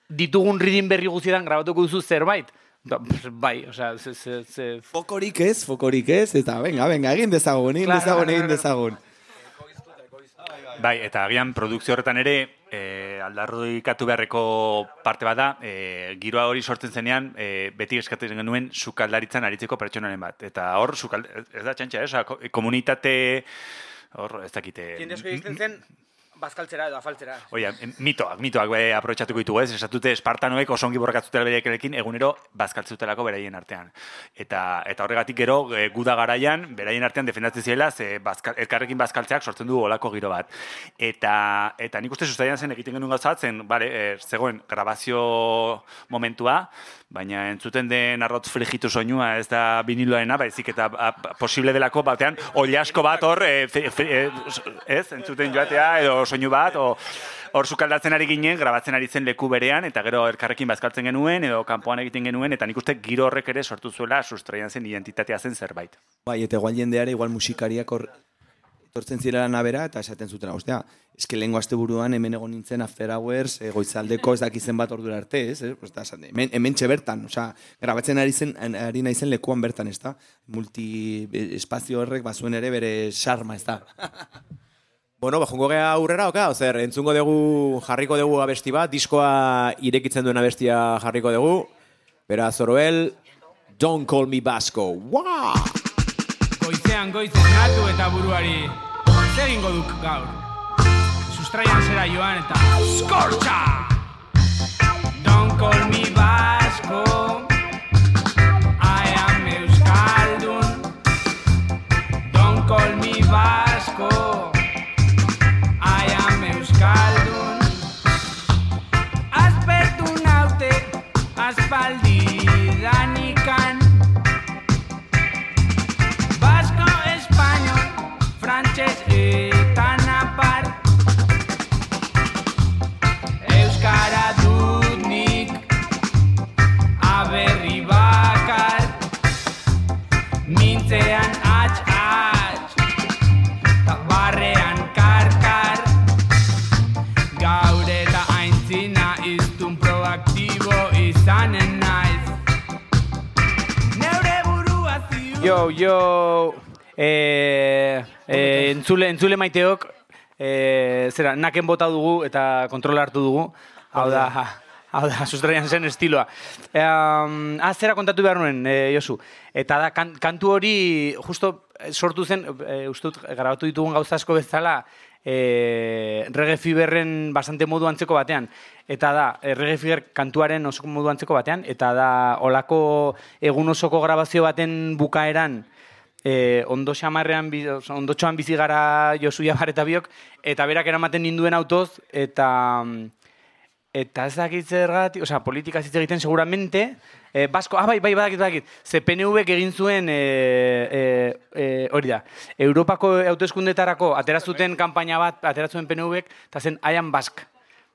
ditugun ridin berri guztietan grabatuko duzu zerbait. Da, bai, osea, ze, ze, ze... Fokorik ez, fokorik ez, eta venga, venga, egin dezagun, egin dezagun, egin dezagun. Bai, eta agian produkzio horretan ere, e, aldarrikatu beharreko parte bat da, e, giroa hori sortzen zenean, e, beti eskatzen genuen sukaldaritzan aritzeko pertsonaren bat. Eta hor, sukald... ez da txantxa, eh? Komunitate... Hor, ez dakite... Jende asko egiten zen, bazkaltzera edo afaltzera. Oia, mitoak, mitoak be, aprobetxatuko ditugu ez, esatute espartanoek oso ongi borrakatzutela bereekin egunero bazkaltzutelako beraien artean. Eta eta horregatik gero, e, guda garaian, beraien artean defendatzen ziela, ze bazkal, elkarrekin bazkaltzeak sortzen du olako giro bat. Eta, eta nik uste sustaian zen egiten genuen gauza bat zen, bale, e, zegoen grabazio momentua, baina entzuten den arrotz frigitu soinua ez da biniloarena, baizik eta a, posible delako batean oliasko bat hor, e, fe, fe, e, ez, entzuten joatea edo soinu bat, o hor sukaldatzen ari ginen, grabatzen ari zen leku berean, eta gero elkarrekin bazkaltzen genuen, edo kanpoan egiten genuen, eta nik uste giro horrek ere sortu zuela sustraian zen identitatea zen zerbait. Bai, eta igual jendeare, igual musikariak hor etortzen zirela nabera, eta esaten zutena, ostea, eske lehengo aste buruan hemen egon nintzen after hours, e, goizaldeko ez dakizen bat ordura arte, ez? Eh? Osta, hemen, hemen bertan, osea, grabatzen ari zen, ari naizen lekuan bertan, ez da? Multi espazio horrek bazuen ere bere sarma, ez da? Bueno, ba, jongo gea aurrera, oka, ozer, entzungo dugu, jarriko dugu abesti bat, diskoa irekitzen duen abestia jarriko dugu, beraz, Zoroel, Don't Call Me Vasco, wow! Goizean goizen natu eta buruari, zer egingo duk gaur? Sustraian zera joan eta skortxa! Don't call me Vasco, I am Euskaldun. Don't call me Vasco, I am Euskaldun. Aspertu naute, aspaldi danikan. Vasco, español, frantses eta napar. Euskara dut nik, aberri bakar. Mintzean atx-atx, ta barrean karkar. Gaur eta aintzina iztun proaktibo izanen naiz. Neure burua ziur. Yo, yo, eh, eh, entzule, entzule maiteok, eh, zera, naken bota dugu eta kontrola hartu dugu. Hau da, hau da, sustraian zen estiloa. Eh, um, ah, zera kontatu behar nuen, eh, Josu. Eta da, kan, kantu hori justo sortu zen, eh, ustut, grabatu ditugun gauza asko bezala, eh, Reggae Feverren bastante modu antzeko batean. Eta da, eh, Reggae Fever kantuaren oso modu antzeko batean, eta da, olako egun osoko grabazio baten bukaeran, eh, ondo xamarrean, ondo txoan bizi gara Josu Jabar eta biok, eta berak eramaten ninduen autoz, eta... Eta ez dakit zergatik, osea, politika hitz egiten seguramente, eh, Basko, ah, bai, bai, badakit, badakit, ze P N Vek egin zuen, eh, eh, eh, hori da, Europako hauteskundetarako aterazuten kanpaina bat, ateratzen P N Vek, eta zen I am Basque.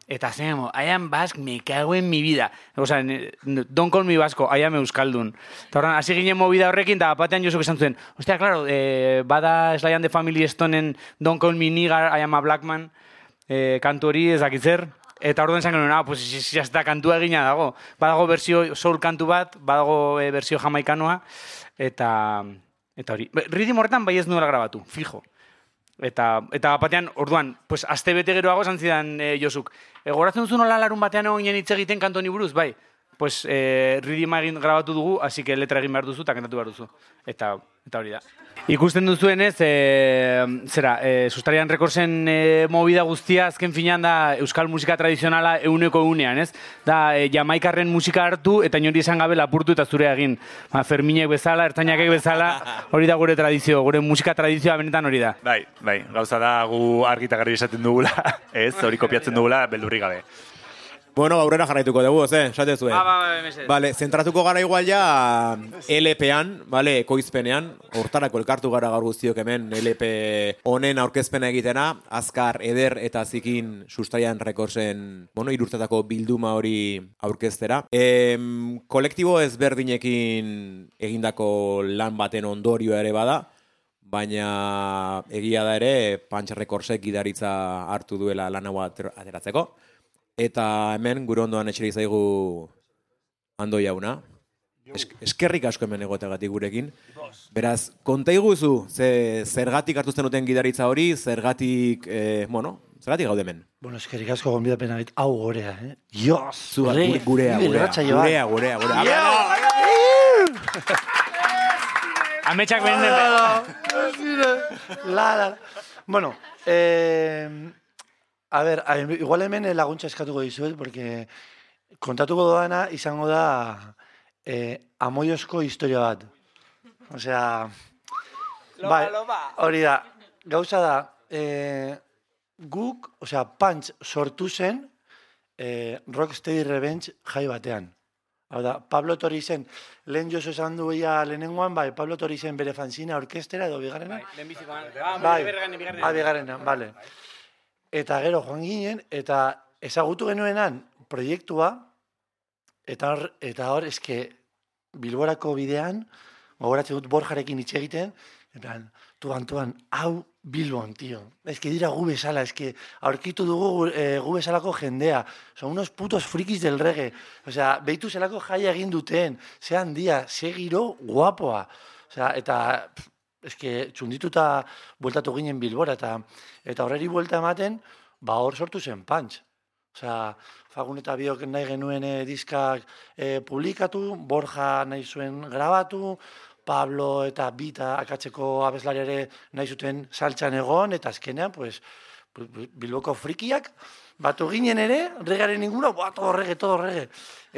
Eta zen, I am Basque, me cago en mi vida. Osea, don't call me Vasco, I am Euskaldun. Eta horren, hasi ginen movida horrekin, eta batean Josuk esan zuen, ostia, claro, eh, bada Sly and the Family Stonen don't call me nigger, I am a black man, eh, kantu hori ez dakit zer. Eta orduan esan genuen, ah, pues ya está, kantua egina dago. Badago berzio soul kantu bat, badago e, berzio jamaikanoa, eta eta hori. Ritmo horretan bai ez nuela grabatu, fijo. Eta eta batean, orduan, pues aste bete geroago esan zidan e, Josuk. E, goratzen duzu nola larun batean egon hitz egiten kantu honi buruz, bai. Pues e, ritma egin grabatu dugu, así que letra egin behar duzu eta kantatu behar duzu. Eta eta hori da. Ikusten duzuenez, e, zera, e, Sustraian Recordsen e, movida guztia azken finean da euskal musika tradizionala euneko eunean, ez? Da, e, jamaikarren musika hartu eta inori esan gabe lapurtu eta zure egin. Ba, Ferminek bezala, Ertzainakek bezala, hori da gure tradizio, gure musika tradizioa benetan hori da. Bai, bai, gauza da gu argita garbi esaten dugula, ez? Hori kopiatzen dugula beldurrik gabe. Bueno, aurrera jarraituko dugu, ze, esate zuen. Ba, ba, ba, mesedez. Vale, zentratuko gara igual ja L P-an, vale, ekoizpenean, hortarako elkartu gara gaur guztiok hemen L P honen aurkezpena egitena, azkar, eder eta zikin Sustraian Recordsen, bueno, irurtetako bilduma hori aurkeztera. E, kolektibo ezberdinekin egindako lan baten ondorioa ere bada, baina egia da ere Punch Recordsek gidaritza hartu duela lan hau ateratzeko. Eta hemen gure ondoan etxeri zaigu Ando jauna. Es, eskerrik asko hemen egoteagatik gurekin. Beraz, konta iguzu, ze, zergatik hartu zenuten gidaritza hori, zergatik, eh, bueno, zergatik gaude hemen. Bueno, eskerrik asko gonbidapena gait, hau gorea, eh? Dios! Zuga, gurea, gurea, gurea, gurea, gurea. Ametsak benen. La, la. Bueno, eh, a ver, a, igual hemen laguntza eskatuko dizuet, porque kontatuko doana izango da eh, amoiozko historia bat. Osea, bai, hori da, gauza da, eh, guk, osea, Punch sortu zen eh, Rocksteady Revenge jai batean. Hau da, Pablo Tori zen, lehen jozo esan duia lehenengoan, bai, Pablo Tori zen bere fanzina orkestera edo bigarrena. Bai, lehen bizikoan. Ah, bai, bigarrena. ah, bigarrena, bale. Eta gero joan ginen, eta ezagutu genuenan proiektua, eta hor, eta hor, eske, Bilborako bidean, gogoratzen dut Borjarekin hitz egiten, en plan, tuan, tuan, hau Bilbon, tío. Ez que dira gu bezala, ez que aurkitu dugu eh, gu bezalako jendea. Son unos putos frikis del reggae. O sea, behitu zelako jaia egin duten, ze handia, ze giro guapoa. O sea, eta, ez que txundituta bueltatu ginen Bilbora, eta eta horreri buelta ematen, ba hor sortu zen Punch. Osea, Fagun eta biok nahi genuen eh, diskak eh, publikatu, Borja nahi zuen grabatu, Pablo eta Bita akatzeko abeslari ere nahi zuten saltxan egon, eta azkenean, pues, Bilboko frikiak, batu ginen ere, regaren inguna, boa, todo rege, todo rege.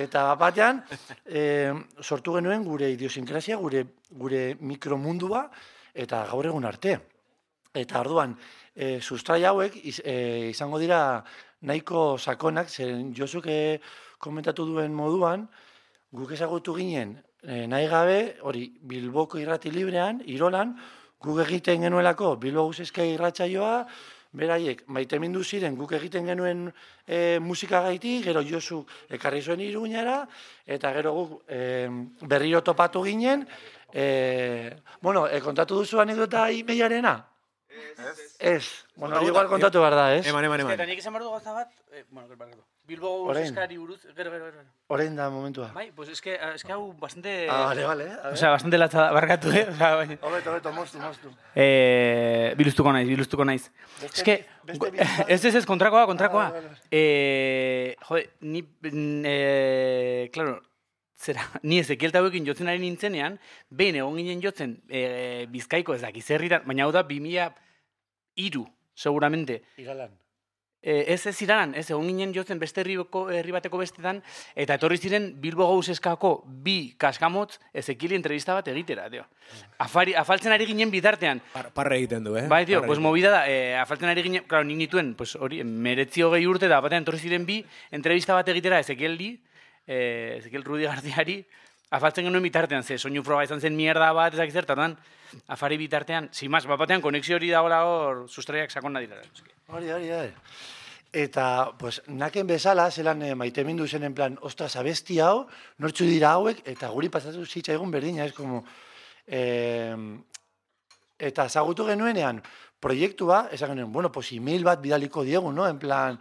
Eta batean, eh, sortu genuen gure idiosinkrazia, gure, gure mikromundua, eta gaur egun arte. Eta orduan, eh, sustrai hauek iz, eh, izango dira nahiko sakonak, zeren Josuk komentatu duen moduan, guk ezagutu ginen, e, nahi gabe, hori Bilboko irrati librean, Irolan, guk egiten genuelako Bilbo Guzezka irratsaioa, beraiek maitemindu ziren guk egiten genuen e, musika gaitik, gero Josu ekarri zuen Iruñara, eta gero guk e, berriro topatu ginen, e, bueno, e, kontatu duzu anekdota imeiarena? Ez. Ez. Bueno, hori igual kontatu behar da, ez? Eman, eman, eman. Eta nik esan behar du gauza bat, eh, bueno, gero, gero. Bilbo Guzeskari buruz, gero, gero, gero. Orain da momentua. Bai, pues es que, es que hau bastante... Ah, vale, vale. O sea, bastante latza barkatu, eh? O sea, bai. Hobeto, hobeto, moztu, moztu. Eh, biluztuko naiz, biluztuko naiz. Beste, Es que, beste ez ez ez, kontrakoa, kontrakoa. Ah, vale, vale. Eh, jode, ni, eh, claro, zera, ni Ezekiel tauekin jotzen ari nintzenean, behin egon ginen jotzen eh, Bizkaiko ez dakiz herritan, baina hau da bi mila hiru, seguramente. Iralan. Eh, ez ez iranan, ez egon ginen jotzen beste herriko, herri bateko bestetan, eta etorri ziren Bilbo Gauzeskako bi kaskamotz Ezekieli entrevista bat egitera, tio. Afari, afaltzen ari ginen bitartean. Par, parre egiten du, eh? Bai, tio, Parre pues egiten. movida da, eh, afaltzen ari ginen, claro, nik nituen, pues hori, meretzi hogei urte da, batean etorri ziren bi, entrevista bat egitera Ezekieli, eh, Ezekiel Rudi Gardiari, afaltzen genuen bitartean, ze soinu froga izan zen mierda bat, ezak zer, tardan, afari bitartean, simaz, bat batean, konexio hori dagoela hor, sustraiak sakon nadira. Hori, hori, hori. Eta, pues, naken bezala, zelan eh, maitemindu zen en plan, ostras, abesti hau, nortzu dira hauek, eta guri pasatu zitzaigun berdina, ez como... Eh, eta zagutu genuenean, proiektua, esan genuen, bueno, pues, email bat bidaliko diegu, no? En plan,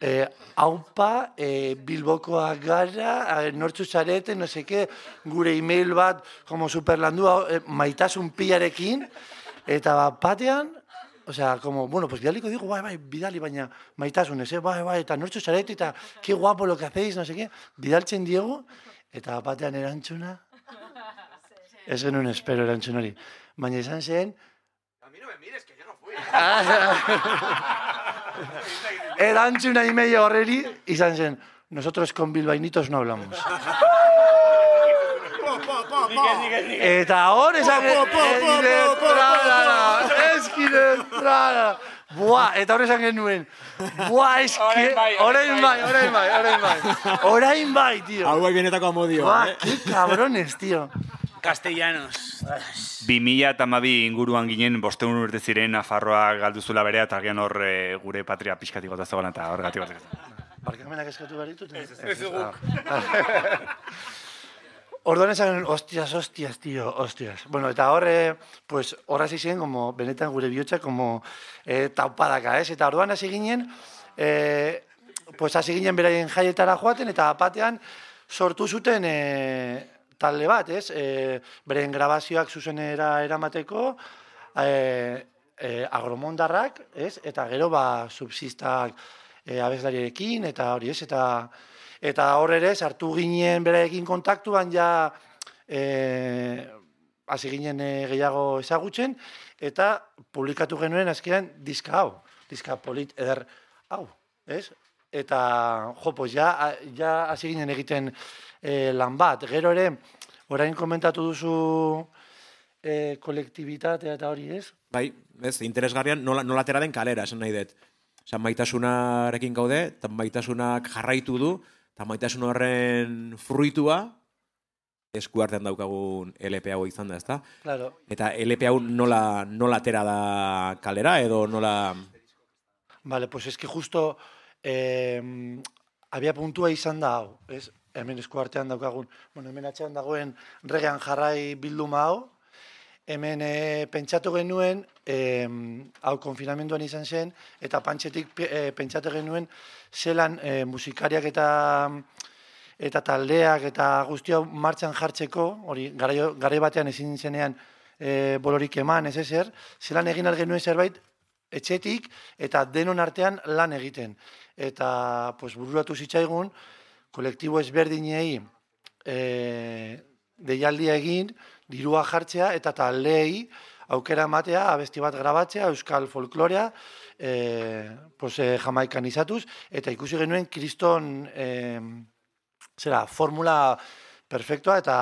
eh, haupa, eh, Bilbokoak gara, eh, nortzu zarete, no seke, gure email bat, como superlandua, eh, maitasun pilarekin, eta bat batean, o sea, como, bueno, pues bidaliko digo, bai, bai, bidali, baina maitasunez, eh, bai, bai, eta nortzu zarete, eta qué guapo lo que hacéis, no sé qué, bidaltzen diego, eta batean erantzuna, ez genuen espero erantzun hori, baina izan zen, A mí no me mires, que yo no fui. erantzuna email horreri, izan zen, nosotros con bilbainitos no hablamos. Eta hor esan... Eskide, trala. Buah, eta hor esan genuen. Buah, eske... Orain bai, orain bai, orain bai. Orain bai, tío. Hau bai benetako amodio, Buah, eh? qué cabrones, tío. Castellanos. bi mila eta hamabi inguruan ginen, bosteun urte ziren Nafarroa galduzula berea, eta agian hor e, gure patria pixkatik gota zegoen, eta horregatik gota. Barkamenak eskatu behar ditut? Ez, ez guk. orduan esan, hostias, hostias, tío, hostias. Bueno, eta horre, pues, horra hasi ziren, como, benetan gure bihotza, como, eh, taupadaka, ez? Eta orduan hasi ginen, eh, pues, hasi ginen beraien jaietara joaten, eta batean sortu zuten eh, talde bat, ez? Eh, beraien grabazioak zuzenera eramateko, eh, eh, agromondarrak, ez? Eta gero, ba, subsistak eh, abeslariekin, eta hori, ez? Eta... Eta hor ere, sartu ginen beraiekin kontaktuan, ja e, hasi ginen e, gehiago ezagutzen, eta publikatu genuen azkenean diska hau, diska polit eder hau, ez? Eta, jo, pues ja, ja hasi ginen egiten e, lan bat. Gero ere, orain komentatu duzu e, kolektibitatea eta hori, ez? Bai, ez, interesgarrian nola, nola atera den kalera, esan nahi dut. Osa, maitasunarekin gaude, eta maitasunak jarraitu du, eta maitasun horren fruitua eskuartean daukagun L P hau izan da, ezta? Claro. Eta L P hau nola, nola atera da kalera, edo nola... Vale, pues es que justo eh, abia puntua izan da hau, ez? Hemen eskuartean daukagun, bueno, hemen atxean dagoen regean jarrai bilduma hau, hemen e, pentsatu genuen, e, hau konfinamenduan izan zen, eta pantxetik e, pentsatu genuen zelan e, musikariak eta eta taldeak eta guzti hau martxan jartzeko, hori garai batean ezin zenean e, bolorik eman, ez ezer, zelan egin genuen zerbait etxetik eta denon artean lan egiten. Eta pues, bururatu zitzaigun, kolektibo ezberdinei e, deialdia egin, dirua jartzea eta taldeei aukera ematea, abesti bat grabatzea, euskal folklorea, e, pues, e, Jamaikan izatuz, eta ikusi genuen kriston e, zera, formula perfektua, eta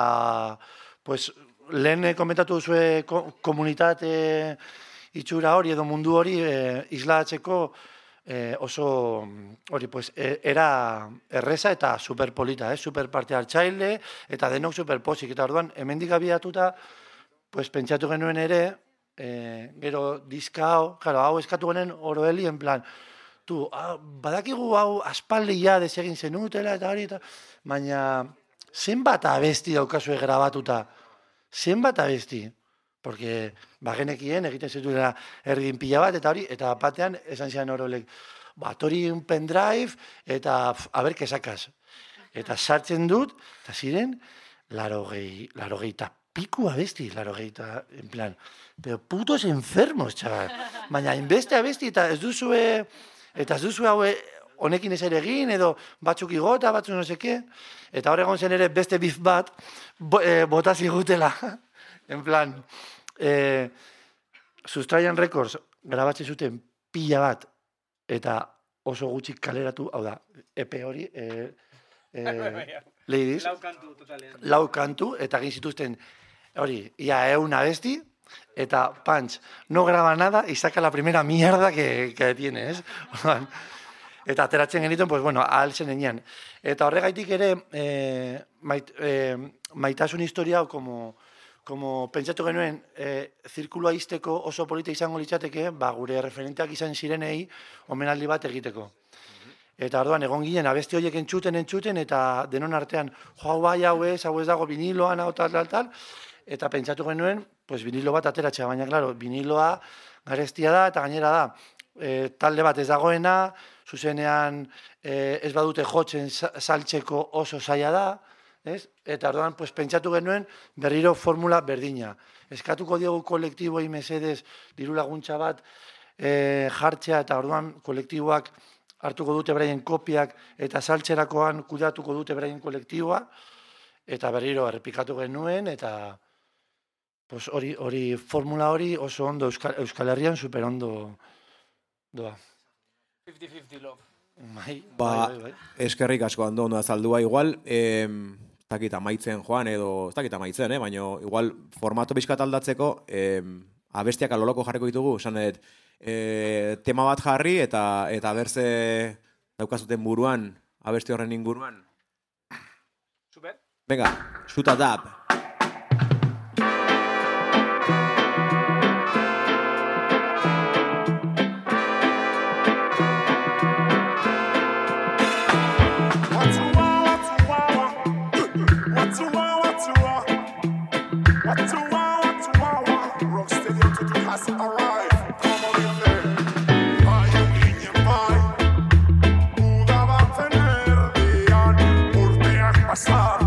pues, lehen komentatu duzue komunitate itxura hori edo mundu hori e, islatzeko e, oso hori pues, e, era erreza eta superpolita, eh? Super parte hartzaile eta denok superpozik. Eta orduan, hemendik abiatuta, pues, pentsatu genuen ere, e, gero diska hau, claro, hau eskatu genuen oroeli, en plan, tu, ah, badakigu hau aspaldia desegin zenutela eta hori, eta, baina zenbat abesti daukazue grabatuta, zenbat abesti, porque bagenekien egiten zituela erdin pila bat, eta hori, eta batean esan zian orolek, bat hori un pendrive, eta a ber, kesakaz. Eta sartzen dut, eta ziren, larogei, larogei eta piku abesti, larogei eta, en plan, pero putos enfermos, txabal. Baina, inbeste abesti, eta ez duzue, eta ez duzue haue, honekin ez ere egin, edo batzuk igota, batzuk no seke, eta hor egon zen ere beste bif bat, bo, e, bota zigutela, en plan, eh, Sustraian Records grabatzen zuten pila bat, eta oso gutxi kaleratu, hau da, E P hori, eh, eh, ladies, Lau kantu totalean. lau kantu, eta egin zituzten, hori, ia eun abesti, eta punch, no graba nada, y saca la primera mierda que, que tiene, ez? Eta ateratzen genituen, pues bueno, ahal zen enean. Eta horregaitik ere, eh, mait, eh, maitasun historia hau, como, como pentsatu genuen, eh, zirkulua izteko oso polita izango litzateke, ba, gure referenteak izan zirenei, omenaldi bat egiteko. Eta orduan egon ginen, abesti horiek entzuten, entzuten, eta denon artean, jo, bai, hau ez, hau ez dago viniloan, hau tal, tal, tal, eta pentsatu genuen, pues vinilo bat ateratzea, baina, klaro, viniloa garestia da, eta gainera da, e, talde bat ez dagoena, zuzenean e, ez badute jotzen saltzeko oso zaila da, ez? Eta orduan, pues, pentsatu genuen berriro formula berdina. Eskatuko diogu kolektiboi mesedez diru laguntza bat e, jartzea, eta orduan kolektiboak hartuko dute beraien kopiak, eta saltzerakoan kudatuko dute beraien kolektiboa, eta berriro errepikatu genuen, eta pues, hori, hori formula hori oso ondo Euskal, Euskal Herrian super ondo doa. fifty fifty love. Bai, Ba, bai, bai, bai. eskerrik asko ondo ondo azaldua igual, eh, ez dakit amaitzen joan edo, ez dakit amaitzen, eh, baina igual formato bizkat aldatzeko, eh, abestiak aloloko jarriko ditugu, esan dut, eh, tema bat jarri eta eta berze daukazuten buruan, abesti horren inguruan. Super. Venga, shoot it up. What you want, what you want, what you want, what you pasa.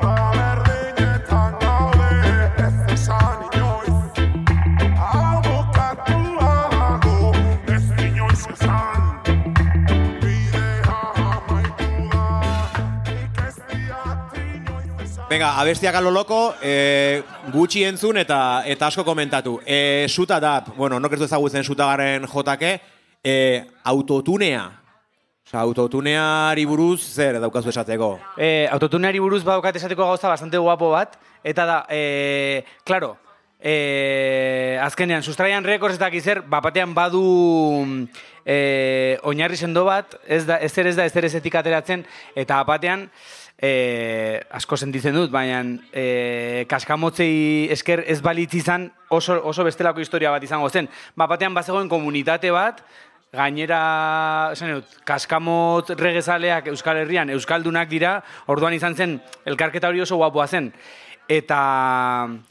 Aberdinetan gaude ez esan inoiz. Abokatua dago ez inoiz esan. Bidea amaitu da, nik ez diat inoiz esan. Venga, abestiak alo loko, eh, gutxi entzun eta eta asko komentatu. Eh, suta da, bueno, nok ez du ezagutzen sutagaren jotake, eh, autotunea. Osa, autotuneari buruz zer daukazu esateko? Eh, autotuneari buruz badaukat esateko gauza bastante guapo bat, eta da, eh, claro, eh, azkenean, Sustraian Records ez dakiz zer, bapatean badu eh, oinarri sendo bat, ez da, ezer ez da, ezer ezetik ateratzen, eta bapatean, eh, asko sentitzen dut, baina eh, kaskamotzei esker ez balitz izan oso, oso bestelako historia bat izango zen. Bapatean bazegoen komunitate bat, gainera, esan dut, kaskamot regezaleak Euskal Herrian, Euskaldunak dira, orduan izan zen, elkarketa hori oso guapoa zen. Eta,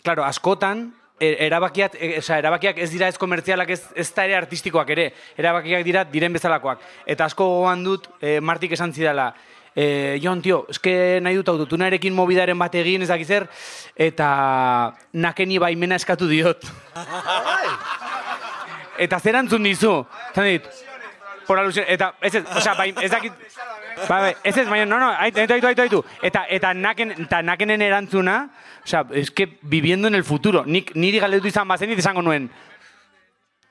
claro, askotan, erabakiak, e, oza, erabakiak ez dira ez komertzialak, ez, ez da ere artistikoak ere, erabakiak dira diren bezalakoak. Eta asko gogoan dut, e, Martik esan zidala, e, Jon, tio, eske nahi dut autotunarekin mobidaren bat egin, ez dakizer, eta nakeni baimena eskatu diot. Eta zer antzun dizu? Zan dit, por alusión, eta ez ez, osea, bai, ez dakit, bai, ez ez, baina, no, no, aitu, aitu, aitu, aitu, eta, eta, naken, eta nakenen erantzuna, osea, es que viviendo en el futuro, nik, niri galdetu izan bazen, nit esango nuen,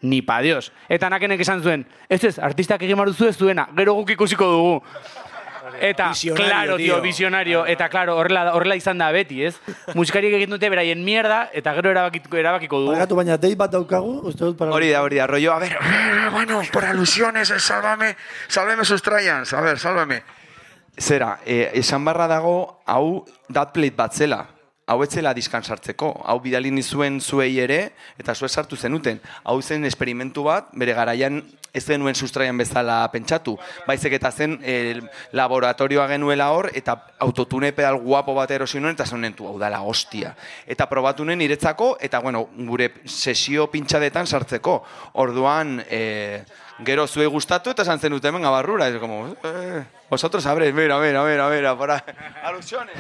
ni pa Dios, eta nakenek esan zuen, ez ez, artistak egin maruzu ez duena, gero guk ikusiko dugu. Eta, visionario, claro, tío, tío. visionario, eta, claro, horrela, horrela izan da beti, ez? Musikariek egin dute beraien mierda, eta gero erabakiko, erabakiko dugu. Barkatu, baina dei bat daukagu, uste dut para... Hori da, hori da, rollo, a ver, Bueno, por alusiones, sálvame, sálvame Sustraians, a ver, sálvame. zera, eh, esan barra dago, hau datplate bat zela. Hau etzela diskan sartzeko, hau bidali nizuen zuei ere, eta zuek sartu zenuten. Hau zen esperimentu bat, bere garaian ez denuen Sustraian bezala pentsatu. Baizik eta zen eh, laboratorioa genuela hor, eta autotune pedal guapo bat erosi nuen, eta zonentu, hau dala hostia. Eta probatu nuen niretzako, eta bueno, gure sesio pintxadetan sartzeko. Orduan, eh, gero zuei gustatu, eta esan zenut hemen gabarrura. Ez como, eh, vosotros sabréis, mira, mira, mira, mira, para alusiones.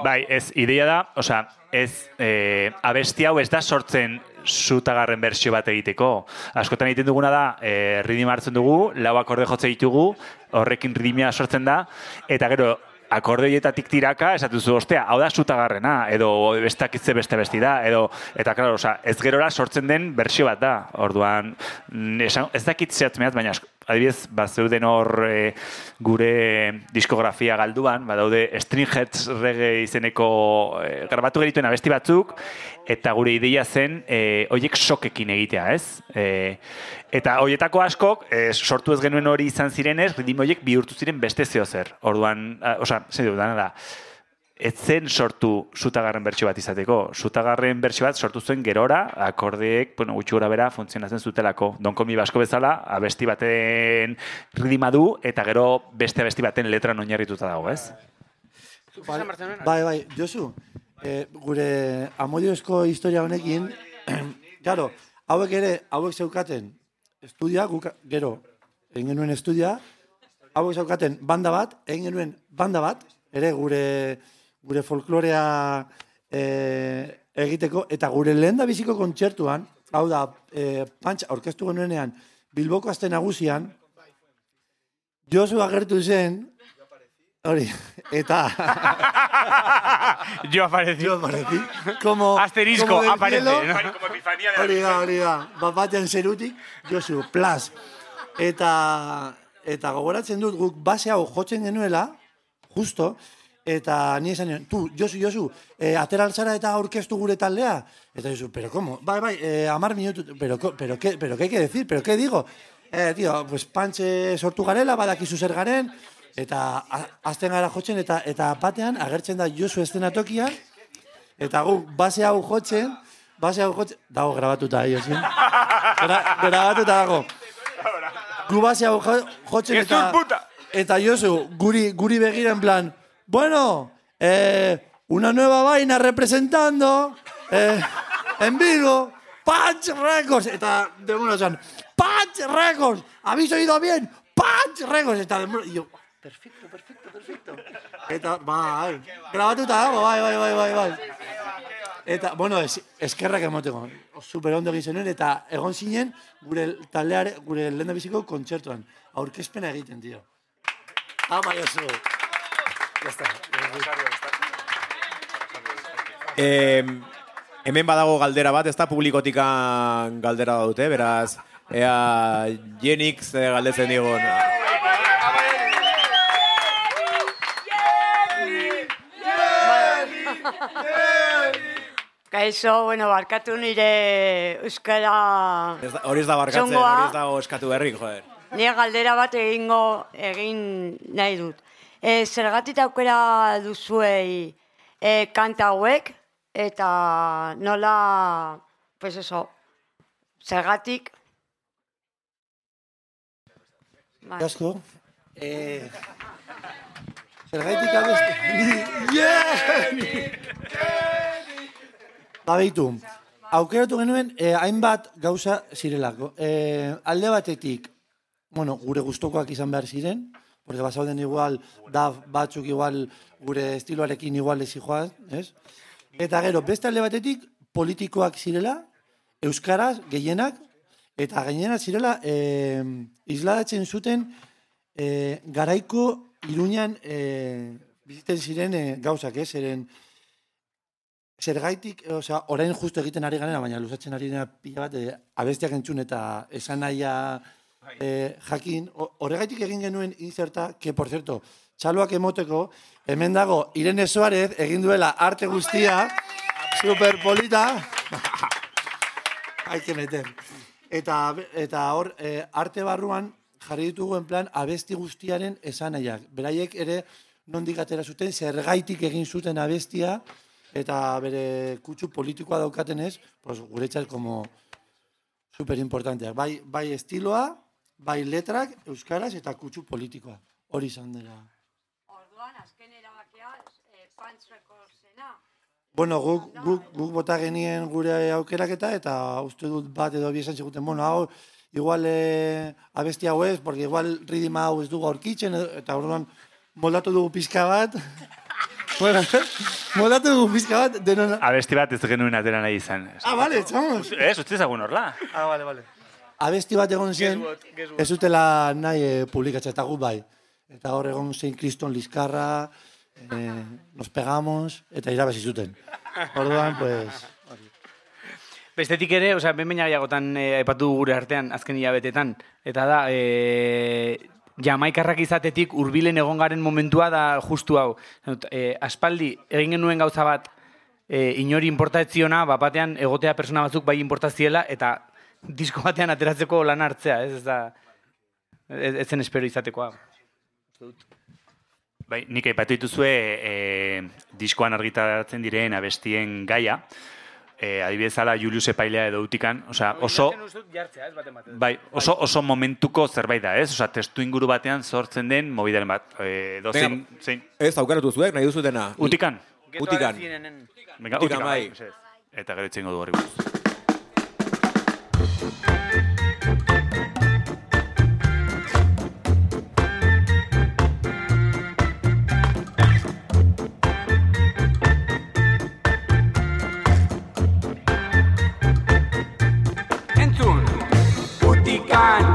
Bai, ez, ideia da, osea, ez, eh, abesti hau ez da sortzen zutagarren bersio bat egiteko. Askotan egiten duguna da, eh, ridima hartzen dugu, lau akorde jotze ditugu, horrekin ridimia sortzen da, eta gero, akordeoietatik tiraka, esatuzu, ostea, hau da zutagarrena, edo bestakitze beste besti da, edo, eta, klaro, osea, ez gerora sortzen den bersio bat da. Orduan, esan, ez dakit zehatz mehatz, baina asko, adibidez, bazeuden hor e, gure diskografia galduan, badaude Stringheads Reggae izeneko e, grabatu gerituen abesti batzuk, eta gure ideia zen e, hoiek sokekin egitea, ez? E, eta hoietako askok, e, sortu ez genuen hori izan zirenez, ritmo hoiek bihurtu ziren beste zeo zer. Orduan, a, osea, zer dut, dana da, ez zen sortu zutagarren bertsio bat izateko. Zutagarren bertsio bat sortu zuen gerora, akordeek, bueno, gutxi gora bera funtzionatzen zutelako. Don Komi Basko bezala, abesti baten ridima du, eta gero beste abesti baten letran oinarrituta dago, ez? Bai, bai, bai, Josu, eh, gure amodiozko historia honekin, claro, hauek ere, hauek zeukaten estudia, guk, gero, egin genuen estudia, hauek zeukaten banda bat, egin genuen banda bat, ere gure gure folklorea eh, egiteko, eta gure lehen da biziko kontzertuan, hau da, eh, pantxa, orkestu genuenean, Bilboko aste nagusian, Josu agertu zen, hori, eta... Yo aparecí. Yo aparecí. Como, Asterisco, como del aparece. cielo. ¿No? Hori da, hori da. Bat batean zerutik, Josu, plas. Eta, eta gogoratzen dut, guk base hau jotzen genuela, justo, eta ni esan nion, tu, Josu, Josu, eh, atera alzara eta aurkeztu gure taldea. Eta Josu, pero ¿cómo? Bai, bai, eh, amar minutu, pero, pero, ¿qué, pero ¿qué hay que decir? ¿Pero qué digo? Eh, tío, pues pantxe sortu garela, badakizu zer garen, eta azten gara jotzen, eta eta batean agertzen da Josu eszenatokian, eta gu, base hau jotzen, base hau jotzen, dago grabatuta, Josu. Gra, grabatuta dago. Gu base hau jotzen, eta, eta Josu, guri, guri begira en plan, bueno, eh, una nueva vaina representando, eh, en Bilbo, Punch Records, eta demuno zan, Punch Records, ¿habéis oído bien? Punch Records, eta demuno, y yo, perfecto, perfecto, perfecto. Eta, bai, grabatuta dago, bai, bai, bai, bai, bai. Eta, bueno, es, eskerrak emoteko. Super ondo egin zenuen, eta egon zinen gure taldeare, gure lehen biziko kontzertuan. Aurkezpena egiten, tio. Ama Josu. Ya está. Eh, hemen badago galdera bat, ez da publikotikan galdera dute, beraz, ea Jenik ze galdetzen digun. Kaixo, bueno, barkatu nire euskara... Ez da- Hori ez da barkatzen, txongoa. hori ez dago eskatu berrik, joder. Nire galdera bat egingo egin nahi dut. E, zergatik aukera duzuei e, kanta hauek, eta nola, pues eso, zergatik... Bai. Asko. Eh, Zergaitik abesti... Yeah! Babeitu, aukeratu genuen eh, hainbat gauza zirelako. Eh, alde batetik, bueno, gure gustokoak izan behar ziren, porque basauden igual, da batzuk igual gure estiloarekin igual ez joan, ez? Eta gero, beste alde batetik, politikoak zirela, euskaraz gehienak, eta gehienak zirela eh, isladatzen zuten eh, garaiko Iruñan eh, biziten ziren eh, gauzak, ez? Zeren, zergaitik, osea, orain justu egiten ari ganera, baina luzatzen ari dena pila bat, eh, abestiak entzun eta esan nahia eh, jakin. O- Horregaitik egin genuen inserta, que, por cierto, txaloak emoteko, hemen dago Irene Suárez egin duela arte guztia, superpolita. Hay que meter. Eta, eta hor, eh, arte barruan jarri ditugu en plan abesti guztiaren esanaiak. Beraiek ere nondik atera zuten, zergaitik egin zuten abestia, eta bere kutsu politikoa daukaten ez, pues, guretzat como super importanteak. Bai, bai estiloa, bai letrak, euskaraz eta kutsu politikoa. Hori izan dela. Orduan, azken erabakia, eh, Punch Recordsena. Bueno, guk, guk, guk bota genien gure aukeraketa, eta uste dut bat edo bi esan ziguten, bueno, hau, igual eh, abesti hau ez, porque igual ridima hau ez dugu aurkitzen, eta orduan moldatu dugu pizka bat. Bueno, moldatu dugu pizka bat, denon... Abesti bat ez genuen atera nahi izan. Ah, vale, txamos. Ez, utzi ezagun horla. Ah, vale, vale. Abesti bat egon zen, ez dutela nahi eh, publikatzea, eta gu bai. Eta hor egon zen Kriston Lizkarra, eh, nos pegamos, eta irabazi zuten. Orduan, pues... Bestetik ere, osea, behin baina gehiagotan eh, aipatu dugu gure artean, azken hilabetetan, eta da, eh, Jamaikarrak izatetik hurbilen egon garen momentua da justu hau. Eh, aspaldi, egin genuen gauza bat, eh, inori importatziona, bat batean egotea persona batzuk bai importaziela, eta disko batean ateratzeko lan hartzea, ez, ez da, ez, ez zen espero izatekoa. Bai, nik aipatu dituzue e, diskoan argitaratzen diren abestien gaia, e, adibidez ala Julius Epailea edo Utikan, osea, oso... Bai, oso, oso momentuko zerbait da, ez? Osea, testu inguru batean sortzen den mobidaren bat. E, dozen, zein... Ez, aukeratu zuek, nahi duzutena. Utikan. Utikan. Venga, Utikan, bai. Eta gero itzengo du horri buruz. Entzun, Utikan,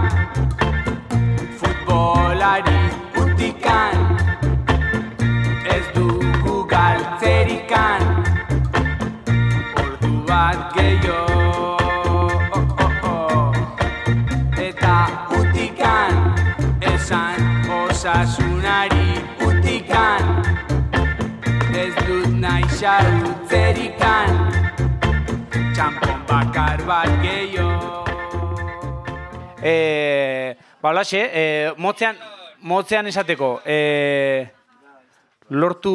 futbolari Utikan, ez dugu galtzerikan, ordu bat gehiago, oh, oh, oh. Eta Utikan, esan osasunari Utikan, ez dut nahi xarutzerikan, txampon bakar bat gehiago. Eh, ba, holaxe, eh, motzean, motzean esateko, eh, lortu,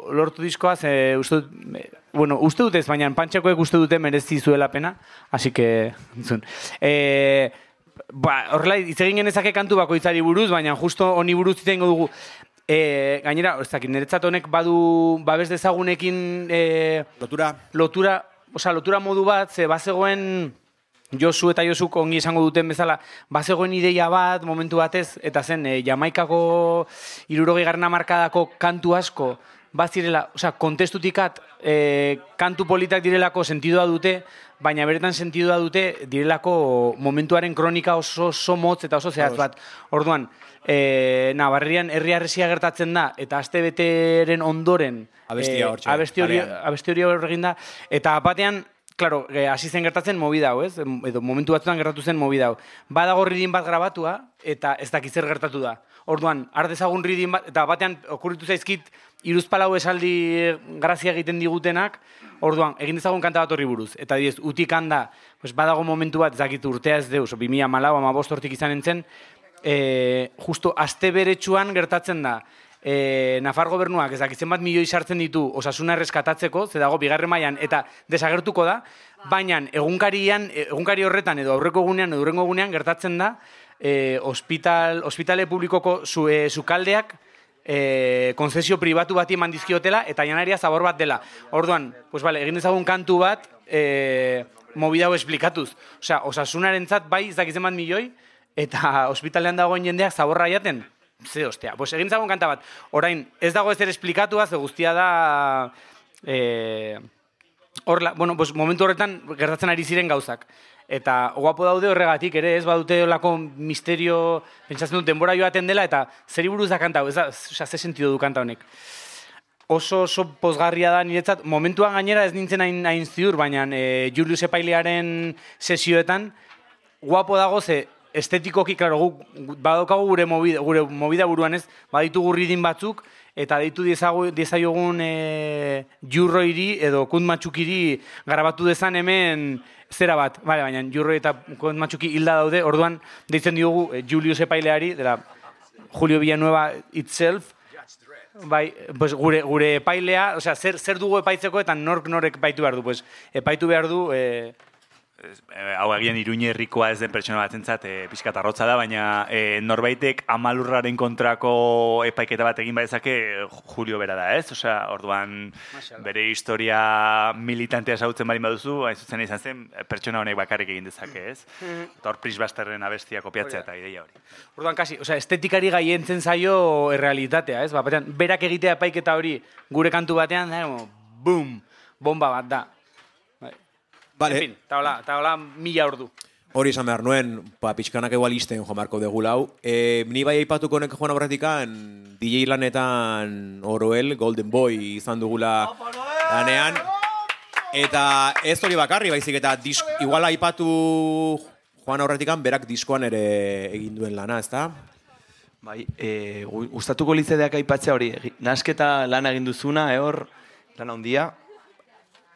lortu diskoaz, eh, uste dut, eh, bueno, uste dut ez, baina pantxakoek uste dute merezi zuela pena, así que, entzun. Eh, ba, horrela, hitz egin genezake kantu bakoitzari buruz, baina justo honi buruz hitz egingo dugu. Eh, gainera, ez dakit, niretzat honek badu babes dezagunekin eh, Lotura. lotura, osea, lotura modu bat, ze bazegoen Josu eta Josuk ongi esango duten bezala, bazegoen ideia bat, momentu batez, eta zen, e, Jamaikako hirurogei garren hamarkadako kantu asko, bazirela, osea, kontestutikat, e, kantu politak direlako sentidua dute, baina beretan sentidua dute direlako momentuaren kronika oso, oso motz eta oso zehaz bat. Orduan, e, Navarrian herri harresia gertatzen da, eta aste beteren ondoren, Abestia e, hortxe, abesti hori, parean. abesti hori horregin da, eta batean, claro, hasi zen gertatzen movida hau, ez? Edo momentu batzutan gertatu zen movida hau. Badago ridin bat grabatua, eta ez dakit zer gertatu da. Orduan, har dezagun ridin bat, eta batean okurritu zaizkit, hiruzpalau esaldi grazia egiten digutenak, orduan, egin dezagun kanta bat horri buruz. Eta diez, utik handa, pues badago momentu bat, ez dakit urtea ez deus, bi mila hamalau, hamabost hortik izan entzen, e, justo aste beretsuan gertatzen da, E, Nafar gobernuak ez dakitzen bat milioi sartzen ditu osasuna erreskatatzeko, ze dago bigarren mailan eta desagertuko da, baina egunkarian, egunkari horretan edo aurreko egunean edo hurrengo egunean gertatzen da e, hospital, hospitale publikoko zu, e, sukaldeak e, konzesio pribatu bati eman dizkiotela eta janaria zabor bat dela. Orduan, pues vale, egin dezagun kantu bat e, movida hau esplikatuz. Osea, osasunarentzat bai ez dakitzen bat milioi eta hospitalean dagoen jendeak zaborra jaten. Ze, ostia, pues egin zagon kanta bat. Orain, ez dago ezer esplikatua, ze guztia da... Eh, horla, bueno, pues momentu horretan gertatzen ari ziren gauzak. Eta guapo daude horregatik ere, ez badute olako misterio, pentsatzen dut denbora joaten dela, eta zeri buruz da kanta hau, ez da, oza, ze sentido du kanta honek. Oso, oso pozgarria da niretzat, momentuan gainera ez nintzen hain, hain ziur, baina eh, Julius Epailearen sesioetan, guapo dago ze, estetikoki, klaro, guk badokagu gure movida, gure movida buruan ez, baditugu ridin batzuk, eta deitu diezaiogun e, Jurroiri edo Kuntmatxukiri garabatu dezan hemen zera bat. Bale, baina Jurroi eta Kuntmatxuki hilda daude, orduan deitzen diogu e, Julius Epaileari, dela Julio Villanueva itself, bai, pues gure, gure epailea, osea, zer, zer dugu epaitzeko eta nork norek epaitu behar du, pues, epaitu behar du... E, hau agian Iruñe herrikoa ez den pertsona batentzat e, pixkat arrotza da, baina e, norbaitek amalurraren kontrako epaiketa bat egin badezake Julio bera da, ez? Osea, orduan bere historia militantea ezagutzen baldin baduzu, hain zuzen izan zen, pertsona honek bakarrik egin dezake, ez? Eta hor Pris Basterren abestia kopiatzea eta ideia hori. Orduan, kasi, osea, estetikari gaientzen zaio errealitatea, ez? Batean, berak egitea epaiketa hori gure kantu batean, da, boom, bomba bat da. Vale. En fin, eta hola, eta hola mila ordu. Hori izan behar nuen, pa, pixkanak egual izten joan beharko dugu lau. E, ni bai aipatuko nek joan aurretikan, D J lanetan Oroel, Golden Boy izan dugula lanean. Eta ez hori bakarri, baizik eta disk, igual aipatu joan aurretikan, berak diskoan ere egin duen lana, ezta? Bai, e, gustatuko litzedeak aipatzea hori, nasketa lana egin duzuna, e, hor, lana handia.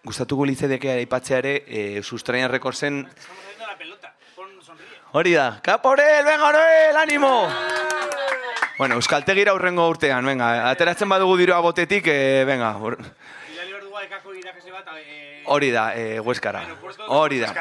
Gustatuko litzedeke aipatzea ere, e, Sustraian Recordsen... Hori da, Kaporel, venga, Noel, animo! Bueno, Euskaltegira aurrengo urtean, venga, ateratzen badugu diroa botetik, e, venga. Hori da, e, Hueskara. Hori da.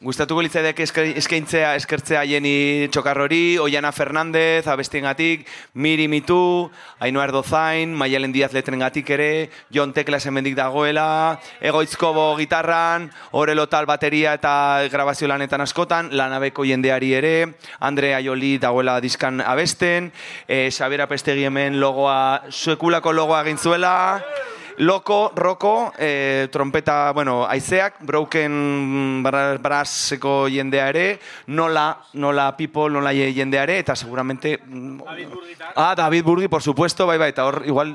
Gustatuko litzedeke eskaintzea, eskertzea Jeni Txokarrori, Oiana Fernandez, abestiengatik, Miri Mitu, Ainhoa Erdozain, Maialen Diaz letrengatik ere, Jon Teklas hemendik dagoela, Egoitzkobo gitarran, Orelo Tal bateria eta grabazio lanetan askotan, Lanabeko jendeari ere, Andre Aioli dagoela diskan abesten, e, Xabier Apestegi hemen logoa, suekulako logoa egin zuela, Loko, Roko, eh, trompeta, bueno, aizeak, Broken Brasseko jendea ere, Nola, Nola People, Nola jendea ere, eta seguramente... David Burgi. Ah, David Burgi, por supuesto, bai, bai, eta hor, igual...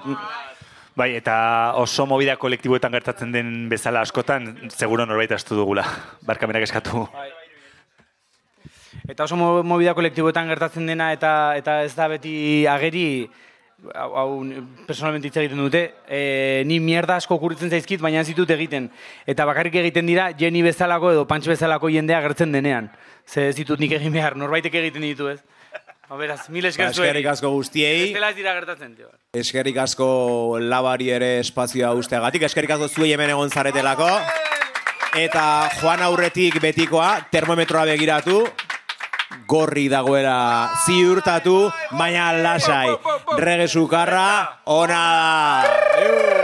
Bai, eta oso movida kolektiboetan gertatzen den bezala askotan, seguro norbait astu dugula, barkamenak eskatu. Eta oso movida kolektiboetan gertatzen dena, eta, eta ez da beti ageri... Hau, hau personalmente hitz egiten dute, e, ni mierda asko okurritzen zaizkit, baina ez ditut egiten. Eta bakarrik egiten dira, Jenny bezalako edo Pantx bezalako jendea gertzen denean. Ze ez ditut nik egin behar, norbaitek egiten ditu, ez? Beraz, mil esker zuen. Eskerrik asko guztiei. Ez dela ez dira gertatzen, tio. Eskerrik asko labari ere espazioa usteagatik. Eskerrik asko zuei hemen egon zaretelako. Eta joan aurretik betikoa, termometroa begiratu. Gorri dagoela ziurtatu, baina lasai. Rege sukarra, ona da.